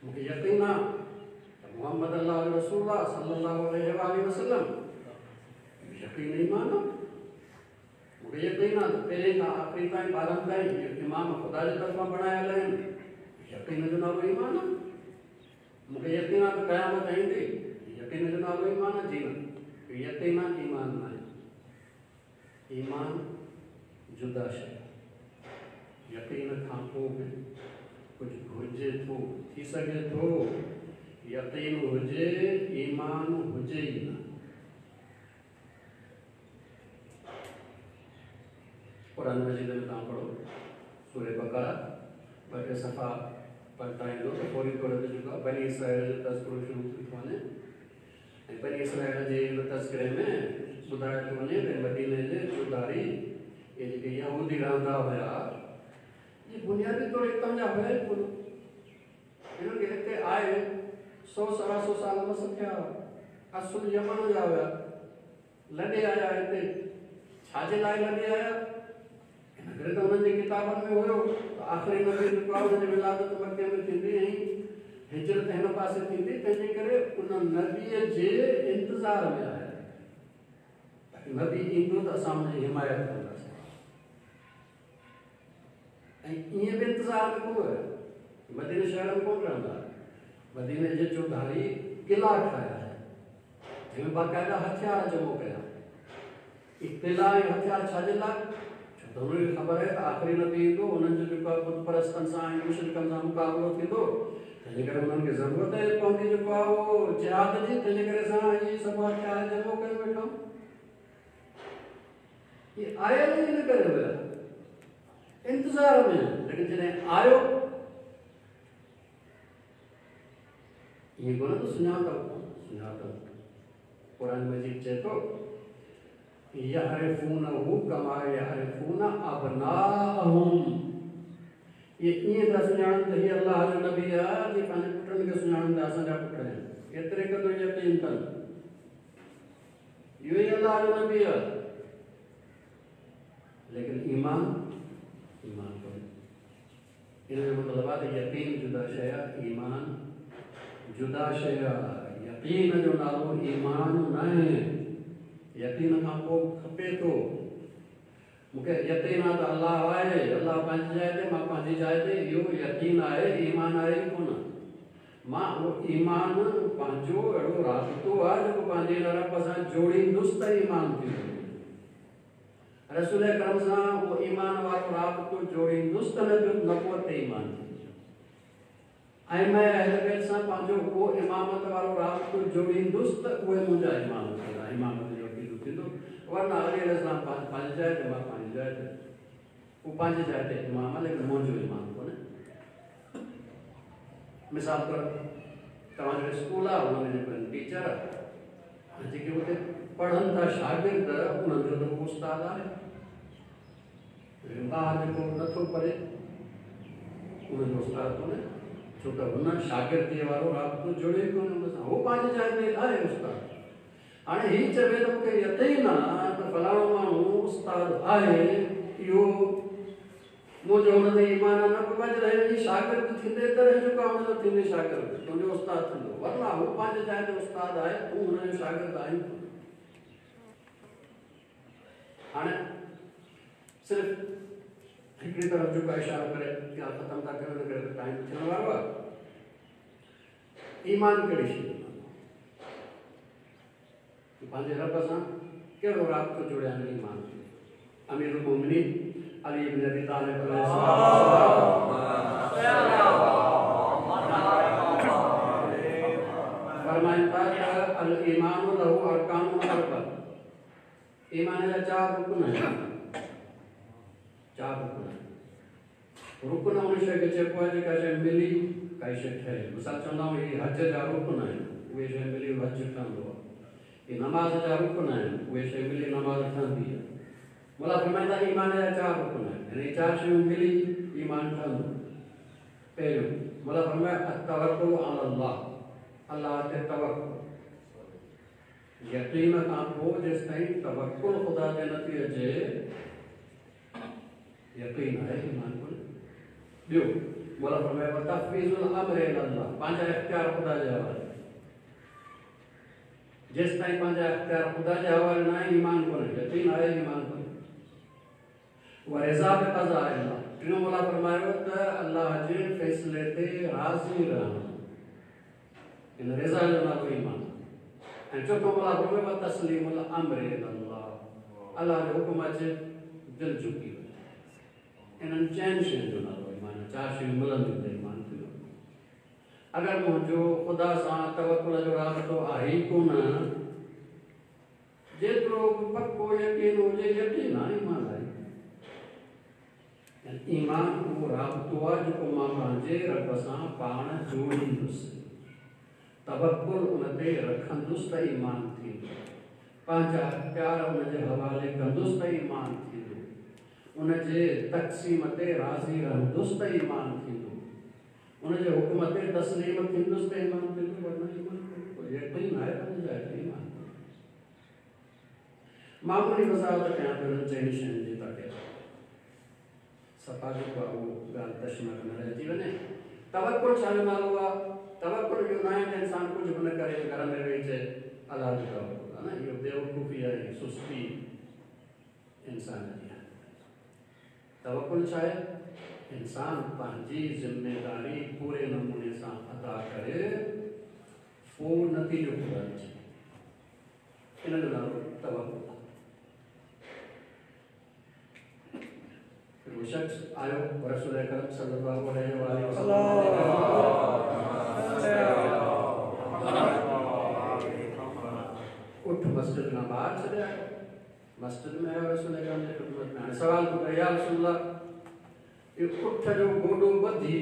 मूंखे यकीन आहे त मोहम्मद अल्लाह जो रसूल आहे सल्लल्लाहु अलैहि वसल्लम, यकीन ईमान आहे। मूंखे यकीन आहे त पहिरीं खां आख़िरी ताईं ॿारनि ताईं इमाम ख़ुदा जे तरफ़ां बणायल आहिनि, यकीन जो नालो ईमान आहे। मूंखे यकीन आहे त क़यामत ईंदी, यकीन जो नालो ईमान आहे। जी न, यकीन ईमान न आहे, ईमान जुदा शइ आहे। यकीन खां पोइ बि कुझु घुरिजे थो, थी सघे थो यकीन हुजे ईमान हुजे ई न। क़ुरान मजीद में तव्हां पढ़ो सूरह बकरा ॿ टे सफ़ा पढ़ता ईंदो त फौरी तौर ते जेको आहे बनी इसराइल जो तज़किरो शुरू थी थो वञे ऐं बनी इसराइल जे हिन तज़किरे में ॿुधायो थो वञे त मदीने जे चौधारी इहे जेके यहूदी रहंदा हुया इहे बुनियादी तौर हितां जा हुया ई कोन। हिननि खे हिते आए सौ सवा सौ साल मस थिया, असुल यमन जा हुया, लॾे आया हिते। छाजे लाइ लॾे आया? हिन करे त हुननि जे किताबनि में हुयो त आख़िरी नबी जेको आहे हुनजी विलादत मक्के में थींदी ऐं हिजरत हिन पासे थींदी, तंहिंजे करे उन नबीअ जे इंतज़ार में आया ताकी नबी ईंदो त असां हुनजी हिमायत कंदासीं। ऐं ईअं बि इंतज़ार में कोन हुया, मदीने शहर में कोन रहंदा, मदीने जे चौधारी किला ठाहिया जंहिंमें बाक़ाइदा हथियार जमो कया। इहे किला ऐं हथियार छाजे लाइ? छो त हुनखे ख़बर आहे त आख़िरी नबी ईंदो, हुननि जो जेको आहे बुत परस्तनि सां ऐं मुशरिकनि सां मुक़ाबिलो थींदो, तंहिंजे करे हुननि खे ज़रूरत पवंदी जेको आहे उहो जिहाद जी, तंहिंजे करे असां इहे सभु हथियार जमो कयो वेठा। इहे आयल ई हिन करे हुया इंतज़ार में, लेकिन जॾहिं आयो ईअं कोन त सुञातव, सुञातव। क़ुरान मजीद चए थो यहरिफूनहु कमा यहरिफून अबनाअहुम, इहे ईअं था सुञाणनि त हीउ अल्लाह जो नबी आहे, जीअं पंहिंजे पुटनि खे सुञाणनि था असांजा पुट आहिनि, एतिरे क़दुरु यकीन अथनि इहो ई अल्लाह जो नबी आहे। लेकिन ईमान ईमान कोन्हे। इन जो मतिलबु आहे त यकीन जुदा शइ आहे, ईमान जुदा शइ आहे। यकीन जो नालो ईमान न आहे, यकीन खां पोइ खपे थो। मूंखे यकीन आहे त अल्लाह आहे, अल्लाह पंहिंजी जाइ ते, मां पंहिंजी जाइ ते, इहो यकीन आहे, ईमान आहे ई कोन। मां उहो ईमान पंहिंजो अहिड़ो राबितो आहे जेको पंहिंजे रब सां जोड़ींदुसि त ईमान थींदो। रसूल करम सां उहो ईमान वारो राबितो जोड़ींदुसि त नबूअत ते ईमान थींदो। ऐं मैं अहल बैत सां पंहिंजो उहो इमामत वारो राबितो जोड़ींदुसि त उहे मुंहिंजा इमाम थींदा, इमामत जो अक़ीदो थींदो। वरना अली अलैहिस्सलाम पंहिंजी जाइ ते, मां पंहिंजी जाइ ते, उहो पंहिंजी जाइ ते इमाम आहे, लेकिन मुंहिंजो इमाम कोन्हे। मिसाल तौरु तव्हांजो स्कूल आहे, हुन में जेको टीचर आहे, जेके हुते पढ़नि था शागिर्द, उन्हनि जो त उस्ताद आहे, लेकिन ॿार जेको नथो पढ़े उन्हनि जो उस्ताद कोन्हे, छो त हुन शागिर्दीअ वारो राबितो जुड़े ई कोन्हे हुन सां, हू पंहिंजी जाइ ते आहे उस्ताद। हाणे हीउ चवे त मूंखे यकीन आहे त फलाणो माण्हू उस्ताद आहे, इहो मुंहिंजो हुन ते ईमान न बाबा, जॾहिं शागिर्द थींदे तॾहिं जेको आहे हुनजो थींदे शागिर्द, तुंहिंजो उस्ताद थींदो, वरना हू पंहिंजी जाइ ते उस्ताद आहे, तूं हुनजो शागिर्द आहीं। हाणे सिर्फ़ हिकिड़ी तरफ़ जेको इशारो करे ॻाल्हि ख़तमु था कयूं, हुन करे टाइम थियण वारो आहे। ईमान कहिड़ी शइ पंहिंजे रब सां कहिड़ो राब्तो जुड़िया आहिनि ईमान। अमीरुल मोमिनीन अली इब्न अबी तालिब फरमाइनि था त अल ईमान लहू अरकान अरबा, ईमान जा चारि रुकन आहिनि, चारि रुकन आहिनि। रुकन उन शइ खे चइबो आहे जेका शइ मिली काई शइ ठहे। मिसाल चवंदा आहियूं इहे हज जा रुकन आहिनि, उहे शइ मिली हज ठहंदो आहे। इहे नमाज़ जा रुकन आहिनि, उहे शइ मिली नमाज़ ठहंदी आहे। मौला फरमाइनि था ईमान जा चारि रुकन आहिनि, यानी चारि शयूं मिली ईमान ठहंदो। पहिरियों मौला फरमायो तवक्कुल अला अल्लाह, अल्लाह ते तवक्कुल। यकीन खां पोइ जेसिताईं तवक्कुल ख़ुदा ते नथी अचे यकीन आहे ईमान कोन्हे। ॿियो मौला फरमायो तफ़वीज़ुल अम्र इला अल्लाह, पंहिंजा इख़्तियार ख़ुदा जे हवाले। जेसिताईं पंहिंजा इख़्तियार ख़ुदा जे हवाले न आहे ईमान कोन्हे, यकीन आहे ईमान कोन्हे। उहा रज़ा बि क़ज़ा अल्लाह। टियों मौला फरमायो त अल्लाह जे फ़ैसिले ते राज़ी रहणु, इन रज़ा जो नालो ईमान। ऐं चोथों मौला फरमायो तस्लीमुल अम्र इला अल्लाह, अल्लाह जो हुकुम अचे दिलि झुकी वञे। इन्हनि चइनि शयुनि जो नालो ईमान, चारि शयूं मिलंदियूं त ईमान थींदो। अगरि मुंहिंजो ख़ुदा सां तवकुल जो राब्तो आहे ई कोन, जेतिरो बि पको यकीन हुजे यकीन आहे ईमान आहे। ईमान उहो राब्तो आहे जेको मां पंहिंजे रब सां पाण जोड़ींदुसि, तवकुल उन ते रखंदुसि त ईमान थींदो, पंहिंजा इख़्तियार उनजे हवाले कंदुसि त ईमान थींदो, उनजे तक़सीम ते राज़ी रहंदुसि त ईमान थींदो, उनजे हुकुम ते तस्लीम थींदुसि त ईमान थींदो, वरना ईमान यकीन आहे पंहिंजे जाइ ते ईमान। मामूली वज़ाहत कयां थो हिननि चइनि शयुनि जी ताकी सफ़ा जेको आहे उहो ॻाल्हि तशमक न रहिजी वञे। तवकुल छा जो नालो आहे? तवकुल इहो न आहे त इंसान कुझु बि न करे घर में वेही चए अल्लाह जो तवकुल आहे न, इहो बेवकूफ़ी आहे, सुस्ती इंसान जी आहे। तवकुल छा आहे? इंसान पंहिंजी ज़िम्मेदारी पूरे नमूने सां अदा करे पोइ नतीजो ख़ुदा अचे, इन जो नालो तवकुल आहे। वो शख्स आयो रसूल अकरम सल्लल्लाहु अलैहि वसल्लम उठ मस्जिद खां ॿाहिरि छॾे आयो, मस्जिद में आयो रसूल अकरम जे ख़िदमत में। हाणे सवाल थो करे या रसूलुल्लाह, इहो उठ जो गोॾो ॿधी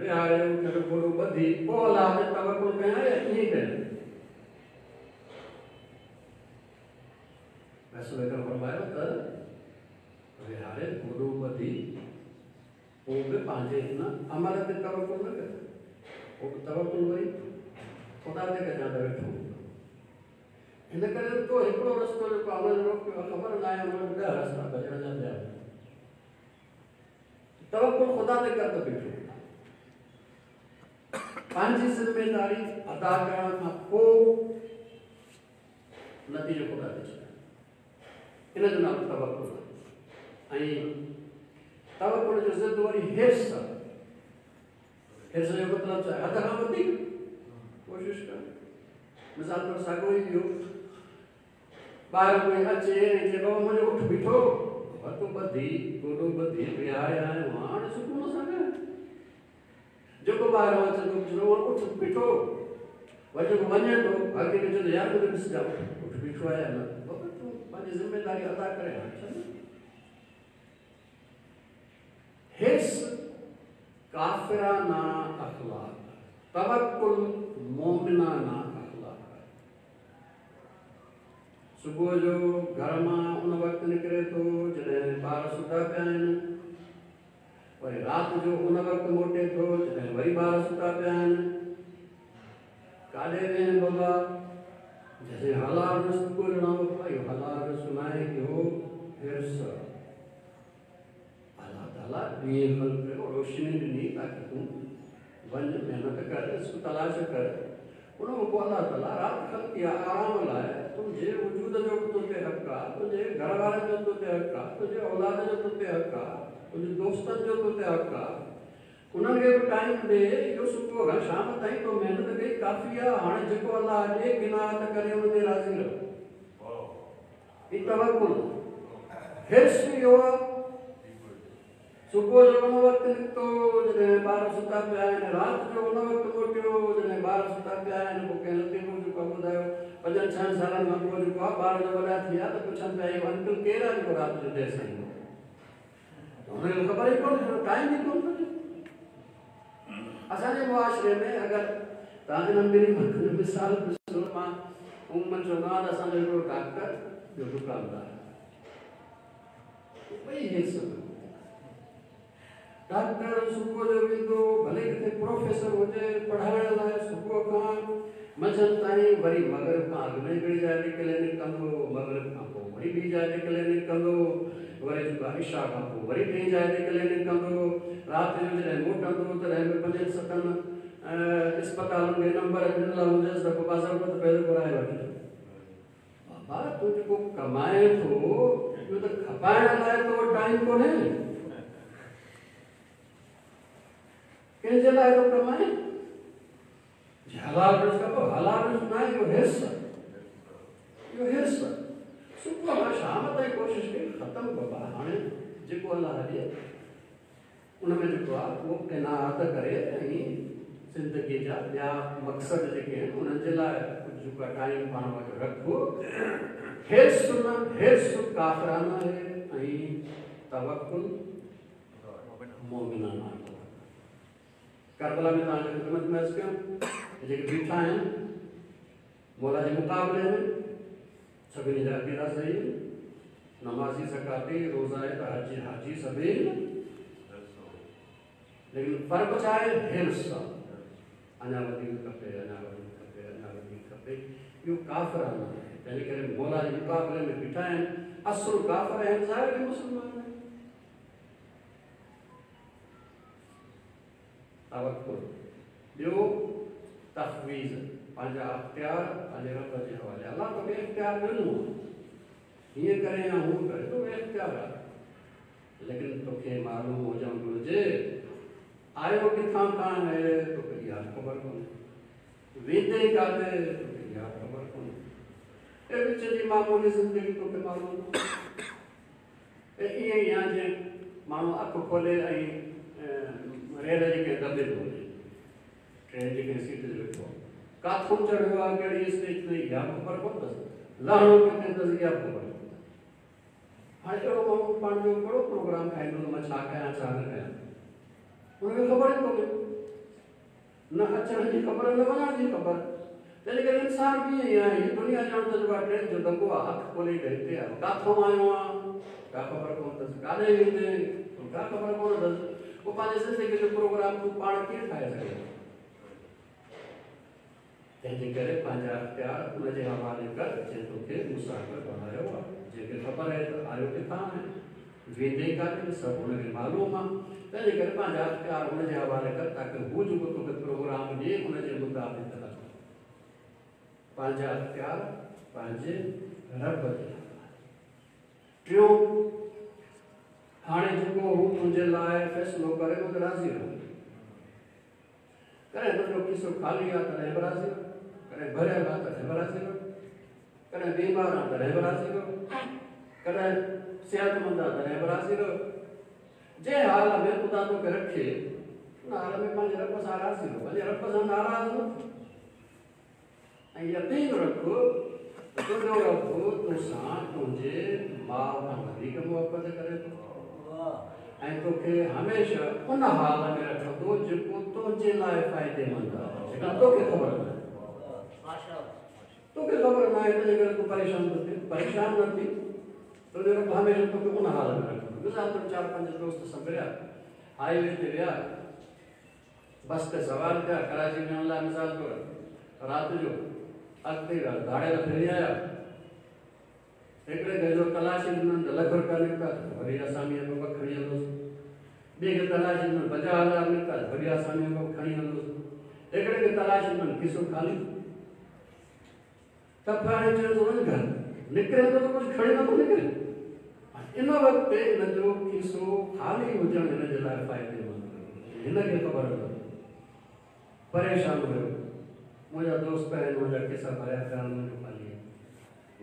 विहारे उठ जो गोॾो ॿधी पोइ अल्लाह ते तवकुल कयां या ईअं कयां? रसूल अकरम फरमायो त विहारे गोॾो ॿधी पोइ बि पंहिंजे हिन अमल ते तवकुल न कर, पोइ बि तवकुल वरी ख़ुदा ते कजां त वेठो। हिन करे तो हिकिड़ो रस्तो जेको आहे हुन रोकियो आहे, ख़बर न आहे हुन वटि ॾह रस्ता भॼण जा पिया। तवकुल ख़ुदा ते कर त बीठो, पंहिंजी ज़िम्मेदारी अदा करण खां पोइ नतीजो ख़ुदा ते छॾे, इन जो नालो तवकुल आहे। ऐं तवकुल जो ज़िद वरी हिर्स आहे। हिर्स जो मतिलबु छा आहे? हद खां वधीक कोशिशि करणु। मिसाल तौरु साॻियो ई इहो ॿाहिरि कोई अचे ऐं चए बाबा मुंहिंजो उठ बीठो, तूं ॿधी गोॾो ॿधी विहारे आयो हाणे सुकून सां वेह। जेको ॿाहिरि अचे थो पुछंदो उठ बीठो, वरी जेको वञे थो अॻिते खे चवंदो यार मूंखे ॾिसजांइ उठ बीठो आहे या न, बाबा तूं पंहिंजी ज़िम्मेदारी अदा करे हाणे छॾ। हिर्स काफ़िराना अख़लाक़, तवक्कुल मोमिनाना अख़लाक़। सुबुह जो घर मां उन वक़्तु निकिरे थो जॾहिं ॿार सुता पिया आहिनि, वरी राति जो उन वक़्तु मोटे थो जॾहिं वरी ॿार सुता पिया आहिनि। काॾे वेह बाबा? जॾहिं हलाल रिस्क ॻोल्हिणो इहो हलाल रिस्क न आहे, इहो हिर्स। अल्लाह ताला ॾींहुं ख़ल्क़ कयो, रोशनी ॾिनी ताकी तूं वञ महिनत कर, रिस्क तलाश कर। उन खां पोइ अल्लाह ताला राति ख़ल्क़ कई आहे आराम लाइ, तुंहिंजे वजूद जो बि तो ते हक़ आहे, तुंहिंजे घर वारनि जो तो ते हक़ आहे, तुंहिंजे औलाद जो तो ते हक़ आहे, तुंहिंजे दोस्तनि जो तो ते हक़ आहे। उन्हनि खे बि टाइम ॾे। इहो सुबुह खां शाम ताईं तो महिनत कई काफ़ी आहे। हाणे जेको अलाह ॾे गिनात करे उन ते राज़ी रहो। हीउ तवकुल हिर्स इहो आहे। सुबुह जो उन वक़्तु निकितो जॾहिं ॿार सुता पिया आहिनि, राति जो उन वक़्तु मोटियो जॾहिं ॿार सुता पिया आहिनि। पोइ कंहिं लतीफ़ो जेको आहे ॿुधायो, पंजनि छहनि सालनि खां पोइ जेको आहे ॿार जो वॾा थी विया त पुछनि पिया इहो अंकल केरु आहे जेको राति जो देरि सां ईंदो? हुनखे ख़बर ई कोन्हे, टाइम ई कोन थो। असांजे मुआशिरे में अगरि तव्हां हिन ॿिन्ही मिसाल ॾिसो, मां उमूमन चवंदो आहियां त असांजो हिकिड़ो डॉक्टर, ॿियो दुकानदार, ॿई हिस्स। डॉक्टर सुबुह जो वेंदो, भले किथे प्रोफेसर हुजे पढ़ाइण लाइ, सुबुह खां मंझंदि ताईं, वरी मग़रिब खां अॻु में हिकिड़ी जाइ ते क्लिनिक कंदो, मग़रिब खां पोइ वरी ॿी जाइ ते क्लिनिक कंदो, वरी जेको आहे इशा खां पोइ वरी टी जाइ ते क्लिनिक कंदो। राति जो जॾहिं मोटंदो तॾहिं बि पंजनि सतनि अस्पतालनि खे नंबर ॾिनल हूंदसि त पोइ बाज़ाब्तो पैसो घुराए वठिजो। बाबा तूं जेको कमाए थो इहो त खपाइण लाइ तो टाइम कोन्हे, कंहिंजे लाइ थो कमाए? हलाल रिज़्क खपो, हलाल रिज़्क न आहे, इहो हिर्स, इहो हिर्स। सुबुह खां शाम ताईं कोशिशि कई, ख़तमु बाबा। हाणे जेको अलाह ॾिए उन में जेको आहे उहो क़नाअत करे ऐं ज़िंदगीअ जा ॿिया मक़सद जेके आहिनि उन्हनि जे लाइ कुझु जेको आहे टाइम पाण वटि रखो। हिर्स न, हिर्स काफ़राना आहे ऐं तवकुल मोमिनाना आहे। करबला में तव्हांजी ख़िदमत में अर्ज़ु कयूं, जेके बीठा आहिनि मौला जे मुक़ाबले में सभिनी जा अक़ीदा सही आहिनि, नमाज़ी, ज़काती, रोज़ा त हाजी हाजी सभई आहिनि, लेकिन फ़र्क़ु छा आहे? हिर्स आहे। अञा वधीक खपे, अञा वधीक खपे, अञा वधीक खपे, इहो काफ़राना आहे। तंहिंजे करे मौला जे मुक़ाबले में बीठा आहिनि, असुलु काफ़र आहिनि, ज़ाहिर मुस्लमान आहिनि। तवकुल, ॿियो तफ़वीज़, पंहिंजा अख़्तियार पंहिंजे रब जे हवाले। अलाह तोखे इख़्तियार ॾिनो आहे, हीअं करे या हूअं करे, तोखे इख़्तियार आहे, लेकिन तोखे मालूम हुजणु घुरिजे आयो किथां खां आहे, तोखे इहा ख़बर कोन्हे, वेंदे काथे, तोखे इहा ख़बर कोन्हे। ऐं विच जी मामूली ज़िंदगी तोखे मालूम ऐं ईअं ई आहे जीअं माण्हू अखि खोले ऐं रेल जे कंहिं दॿे थो वञे, ट्रेन जे कंहिं सीट ते वेठो आहे, काथों चढ़ियो आहे, कहिड़ी स्टेज ते, इहा बि ख़बर कोन अथसि, लहणो किथे अथसि, इहा बि ख़बर कोन। हाणे अहिड़ो माण्हू पंहिंजो कहिड़ो प्रोग्राम ठाहींदो त मां छा कयां छा न कयां, हुनखे ख़बर ई कोन्हे, न अचण जी ख़बर न वञण जी ख़बर। तंहिंजे करे इंसान कीअं ई आहे, हीअ दुनिया ॼण त जेको आहे ट्रेन जो दॿो आहे, अखि खोले त हिते आहे, काथों आयो आहे का ख़बर कोन अथसि, काॾे वेंदे का ख़बर कोन अथसि। पोइ पंहिंजे ज़िंदगीअ जो प्रोग्राम तूं पाण कीअं ठाहे सघे? तंहिंजे करे पंहिंजा अख़्तियार उनजे हवाले कर जंहिं तोखे मुसाफ़िर बणायो आहे, जंहिंखे ख़बर आहे त आयो किथां आहे, वेंदे काथे, सभु हुनखे मालूम आहे। तंहिंजे करे पंहिंजा अख़्तियार हुनजे हवाले कर ताकी हू जेको तोखे प्रोग्राम ॾिए उनजे मुताबिक़ हल। पंहिंजा अख़्तियार पंहिंजे रब जे हवाले। टियों, हाणे जेको हू तुंहिंजे लाइ फ़ैसिलो करे उहो त राज़ी रहो। कॾहिं तुंहिंजो खिसो ख़ाली आहे तॾहिं बि राज़ी रहो, कॾहिं भरियल आहे तॾहिं बि राज़ी रहो, कॾहिं बीमार आहे तॾहिं बि राज़ी रहो, कॾहिं सिहतमंद आहे तॾहिं बि राज़ी रहो। जंहिं हाल में ख़ुदा तोखे रखे उन हाल में पंहिंजे रब सां राज़ी रहो, पंहिंजे रब सां नाराज़ न थियो। ऐं यकीन रख त तुंहिंजो रब तोसां तुंहिंजे माउ खां वधीक मुहबत करे थो ऐं तोखे हमेशह उन हाल में रखंदो जेको तुंहिंजे लाइ फ़ाइदेमंद आहे, जेका तोखे ख़बर न आहे। तोखे ख़बर न आहे तंहिंजे करे तूं परेशान थो थिए, परेशान न थी, तुंहिंजो रब हमेशह तोखे उन हाल में रखंदो। मिसाल तौरु चारि पंज दोस्त संभरिया, हाईवे ते विया, बस ते सवार थिया, कराची वञण लाइ मिसाल तौरु राति जो अॻिते धाड़ियल फिरी आया, हिकिड़े खे जो तलाशी ॾिननि त लख रुपया निकिता, वरी असामीअ में ॿ खणी हलंदुसि। ॿिए खे तलाशी ॾिननि पंजाह हज़ार निकिता, वरी असामीअ में ॿ खणी हलंदुसि। हिकिड़े खे तलाशी ॾिननि खिसो ख़ाली। थप हाणे चयो थो वञ घर निकिरे थो त कुझु खणी नथो निकिरे। इन वक़्तु हिन जो खीसो ख़ाली हुजणु हिन जे लाइ फ़ाइदेमंद हुयो। हिनखे ख़बर न परेशान हुयो। मुंहिंजा दोस्त आहिनि, मुंहिंजा खिसा भरिया पिया आहिनि, मुंहिंजो ख़ाली आहे।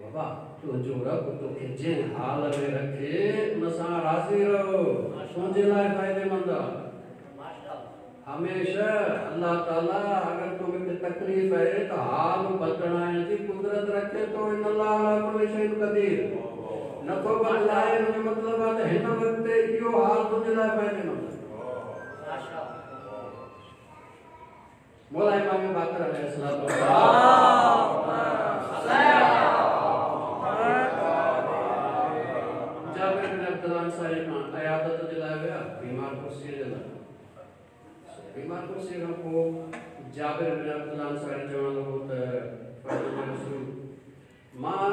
बाबा तुंहिंजो रब तोखे जंहिं हाल में रखे उन सां राज़ी रहो, तुंहिंजे लाइ फ़ाइदेमंद आहे। हमेशह अल्लाह ताला अगरि तोखे तकलीफ़ आहे त हाल बदिलाइण जी कुदरत रखे थो। इन अल्लाह अला कुल्ली शैइन क़दीर। नथो बदिलाए हुनजो मतिलबु आहे त हिन वक़्तु इहो हाल तुंहिंजे लाइ फ़ाइदेमंद आहे। मौला इमाम बाक़िर अलैहिस्सलाम जाबिर बिन अब्दुल्लाह अंसारी खां अयादत जे लाइ विया बीमार कुर्सीअ जे लाइ। बीमार कुर्सीअ खां पोइ जाबिर बिन अब्दुल्लाह अंसारी चवणु लॻो त रसूल मां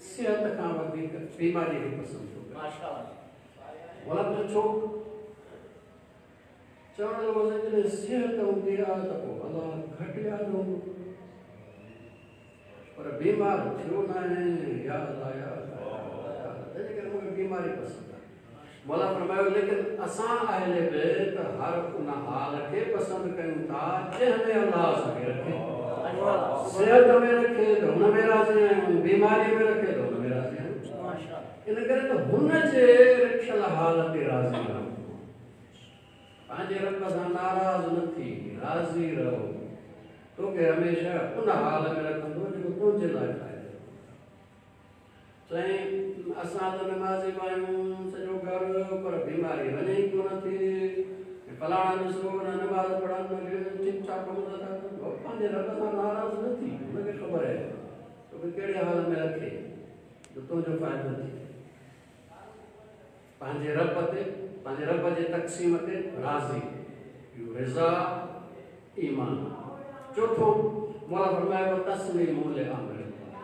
सिहत खां वधीक बीमारी खे पसंदि थो करियां। मौला पुछियो छो? चवणु लॻो जॾहिं सिहत हूंदी आहे त पोइ अलाह घटि यादि हूंदो, पर बीमार थियो न आहे। या अल्लाह या अल्लाह, तंहिंजे करे मूंखे बीमारी पसंदि आहे। मौला फरमायो लेकिन असां अहले बैत हर उन हाल खे पसंदि कयूं था जंहिं में अल्लाह असांखे रखे। सिहत में रखे त हुन में राज़ी आहियूं, बीमारी में रखे त हुन में राज़ी आहियूं। इन करे त हुन जे रखियल हाल ते राज़ी रहो, पंहिंजे रब सां नाराज़ न थी, राज़ी रहो। तोखे हमेशह उन हाल में रखंदो जेको तुंहिंजे लाइ फ़ाइदो। चई असां त नमाज़ी आहियूं सॼो घर, पर बीमारी वञे ई कोन थी। फलाणा ॾिसो न नमाज़ पढ़नि न ठीकु ठाक कमु नथा कनि। पंहिंजे रब सां नाराज़ न थी, हुनखे ख़बर आहे तोखे कहिड़े हाल में रखे जो तुंहिंजो फ़ाइदो थिए। पंहिंजे रब ते पंहिंजे रब जे तक़सीम ते राज़ी, इहो रज़ा ईमान। चोथों मौला फरमायो तस्लीम ले अम्र,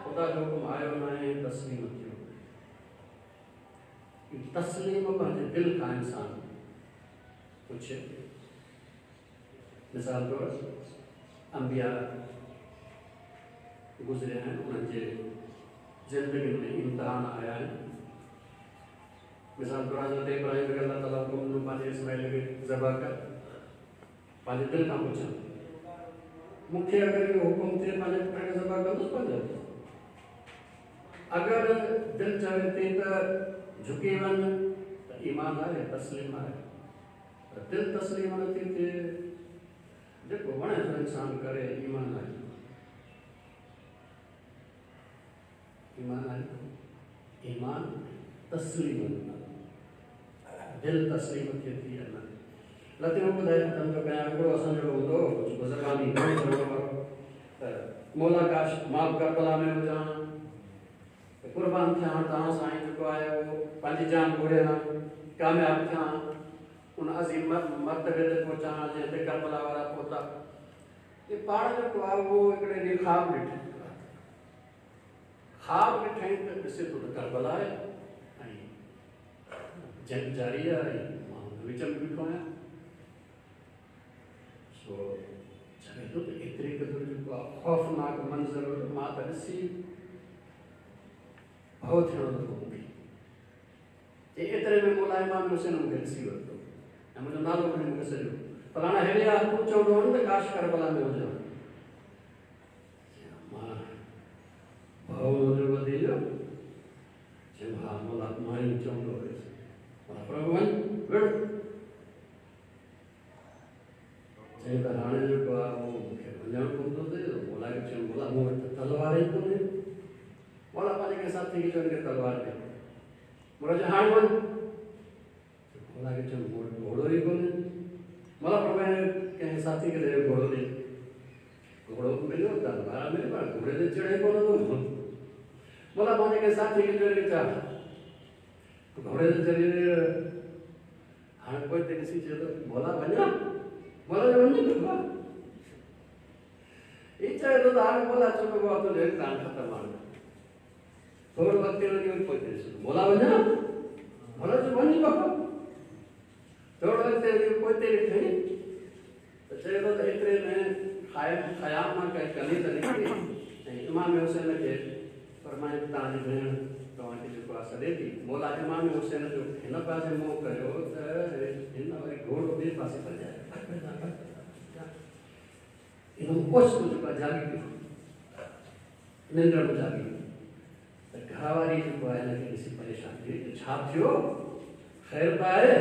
ख़ुदा जो हुकुम आयो न आहे तस्लीम थियो। तस्लीम पंहिंजे दिलि खां इंसान पुछे। मिसाल तौरु अंबिया गुज़रिया आहिनि, उन्हनि जे ज़िंदगी में इम्तिहान आया आहिनि। मिसाल तौरु हज़रत इब्राहिम खे अल्लाह ताला हुकुम ॾिनो पंहिंजे इस्माइल खे ज़बह कर। पंहिंजे दिलि खां पुछनि, मूंखे अगरि इहो हुकुम थिए पंहिंजे पुट खे ज़बह कंदुसि पंहिंजे? अगरि दिलि चवे थी त झुकी वञ त ईमान आहे, तस्लीम आहे। पर दिलि तस्लीम नथी थिए, जेको वणे थो इंसान करे, ईमान आहे, ईमान आहे। ईमान तस्लीम, दिलि तस्लीम थिए थी या न। लतीफ़ ॿुधाए थो कयां, हिकिड़ो असां जहिड़ो हूंदो हो ज़बानी त मौला काश मां बि करबला में हुजां, कुर्बान थियां तव्हां सां जेको आहे उहो पंहिंजी जान घुरियां, कामयाबु थियां, उन अज़ीम मर्तबे ते पहुचां जंहिं ते करबला वारा पहुता। इहे पाण जेको आहे उहो हिकिड़े ॾींहुं ख़्वाब ॾिठई, ख़्वाब ॾिठई त ॾिसे थो त करबला आहे ऐं जंग जारी आहे ऐं मां हुन विच में बीठो आहियां। सो चवे थो त एतिरे क़दुरु जेको आहे ख़ौफ़नाक मंज़र मां त ॾिसी भउ थियणु लॻो मूंखे। एतिरे में मौला इमाम हुसैन मूंखे ॾिसी वरितो ऐं मुंहिंजो नालो खणी मूंखे सॼो फलाणा हेॾे आ, तूं चवंदो हो न त काश करबला में हुजां। मां भउ मुंहिंजो वधी वियो, चयमि हा मौला मां ई चवंदो हुयुसि। प्रभु वञ विड़। चई त हाणे जेको आहे उहो मूंखे वञणु पवंदो थिए। मौला खे चयमि मौला मूं वटि त तलवार ई कोन्हे। मौला पंहिंजे कंहिं साथी खे चयो हिनखे तलवार ॾे। मौला चयो हाणे वञ। मौला खे चयमि मूं वटि घोड़ो ई कोन्हे। मौला फरमाए कंहिं साथी खे ॾे घोड़ो ॾे। घोड़ो मिलियो, तलवार मिली, पर घोड़े ते चढ़े कोन थो। मौला पंहिंजे कंहिं साथी खे चयो हिनखे चाह घोड़े ते चढ़ी। हाणे पोइ ते ॾिसी चयो त मौला वञा, मौला चयो वञ बाबा। ही चए थो त हाणे मौला चयो बाबा तुंहिंजो इम्तिहान ख़तमु हाणे। थोरो अॻिते वञी वरी पोइ ॾिसो मौला वञा, मौला चयो वञ बाबा। थोरो अॻिते वञी पोइ ॾिठई त चए थो त एतिरे में ख़याम मां कंहिं कली त निकिती ऐं इमाम हुसैन खे फरमाए तव्हांजी भेण तव्हांखे जेको आहे सॾे थी। मौला इमाम हुसैन जो हिन पासे मुंहुं कयो त हिन वरी घोड़ो ॿिए पासे भॼायो। हिन ओचितो जेको आहे जाॻी पियो, निंड में जाॻी पियो। त घरवारी जेको आहे हिनखे ॾिसी परेशान थी विई, छा थियो, ख़ैर त आहे?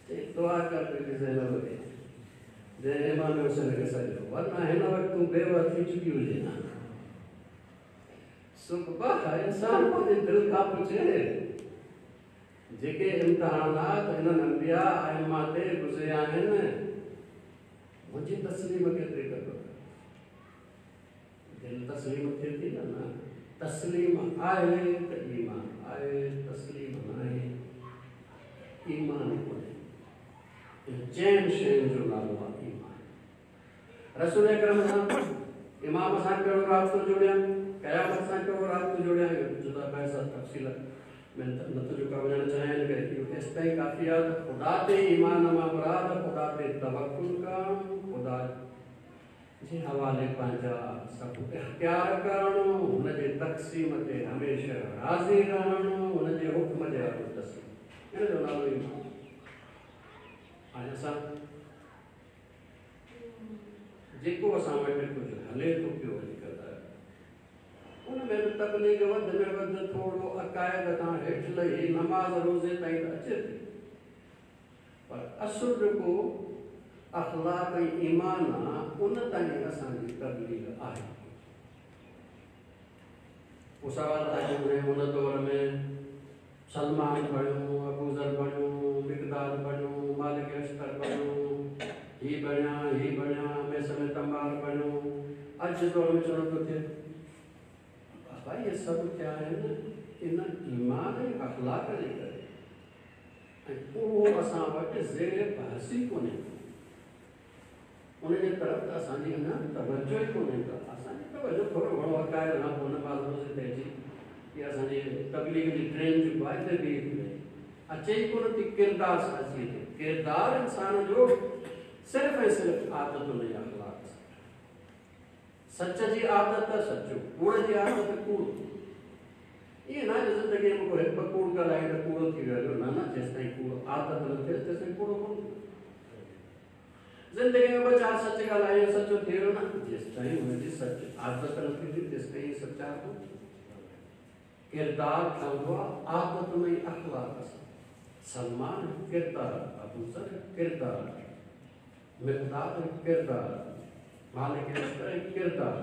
चई दुआ कर पंहिंजी ज़ैनब खे जंहिं इमाम हुसैन खे सॾियो, वरना हिन वक़्तु तूं बेवा थी चुकी हुजे हा। सुबह इंसान पंहिंजी दिलि खां पुछे, जेके इम्तिहानात हिननि अंबिया आइमा ते गुज़रिया आहिनि, मुंहिंजी तस्लीम केतिरी कदुरु? दिलि तस्लीम थिए थी न? न तस्लीम आहे त ईमान आहे, तस्लीम न आहे ईमान कोन्हे। चइनि शयुनि जो नालो आहे ईमान। रसूल अकरम सां इमाम सां कहिड़ो राब्तो जोड़िया, क़यामत सां कहिड़ो राब्तो जोड़िया, इहो जुदा बहस तफ़सील में नथो जेको वञणु चाहियां, इन करे इहो केसि ताईं काफ़ी आहे त ख़ुदा ते ईमान मां मुराद ख़ुदा ते तवकुल करणु, ख़ुदा जे हवाले पंहिंजा सभु इख़्तियार करणु, हुनजे तक़सीम ते हमेशह राज़ी रहणु, हुनजे हुक्म जे आॾो तस्लीम, हिन जो नालो ईमान। हाणे असां जेको असां वटि कुझु हले थो पियो अॼुकल्ह, उन में बि तबलीग वधि में वधि थोरो अक़ाइद खां हेठि लही नमाज़ रोज़े ताईं त अचे थी, पर असुलु जेको अख़लाक ऐं ईमान आहे उन ताईं असांजी तबलीग आहे। पोइ सवाल तव्हांखे ॿुधायूं, हुन दौर में सलमान बणियो, अबूज़र बणियो, मिक़दाद बणियो, मालिक अश्तर बणियो, ही बणिया ही बणिया, मैसम तंबार बणियो। अॼु दौर में चलो थो थिए, भाई इहे सभु थिया आहिनि इन ईमान ऐं अख़लाक जे करे, ऐं उहो असां वटि ज़ेर बहस ई कोन्हे। उनजे तरफ़ त असांजी अञा तवजो ई कोन्हे का। असांजी तवजो थोरो घणो अक़ाइद खां पोइ नमाज़ रोज़े ते अची इहा असांजी तबलीग जी ट्रेन जेको आहे हिते बीहे थी वई, अचे ई कोन थी किरदार साज़ीअ ते। किरदार इंसान जो सिर्फ़ ऐं सिर्फ़ु आदतुनि ऐं अख़लाक सां। सच जी आदत सचो, कूड़ जी आदत कूड़। ईअं न आहे ज़िंदगीअ में को हिकु ॿ कूड़ ॻाल्हाए त कूड़ो थी वियो, न न, जेसि ताईं कूड़ आदत न थिए तेसि ताईं कूड़ो कोन थींदो। ज़िंदगीअ में ॿ चारि सच ॻाल्हायो सचो थी वियो न, जेसि ताईं हुनजी सच आदत न थींदी तेसि ताईं सचा कोन थींदो। किरदार ठहंदो आहे आदतुनि ऐं अख़लाक सां। सलमान किरदार, अबूज़र किरदार, मिक़दाद किरदार, मालिक किरदार,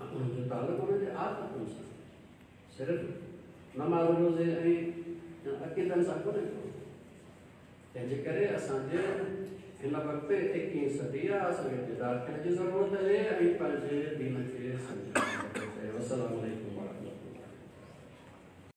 ऐं उन्हनि जो तालुक़ु हुनजे आदतुनि सां, सिर्फ़ु नमाज़ रोज़े ऐं अक़ीदनि सां कोन्हे को। तंहिंजे करे असांजे हिन वक़्तु एकवीह सदी आहे, असांखे बेदार थियण जी ज़रूरत आहे ऐं पंहिंजे दीन खे सम्झण। वसलाम।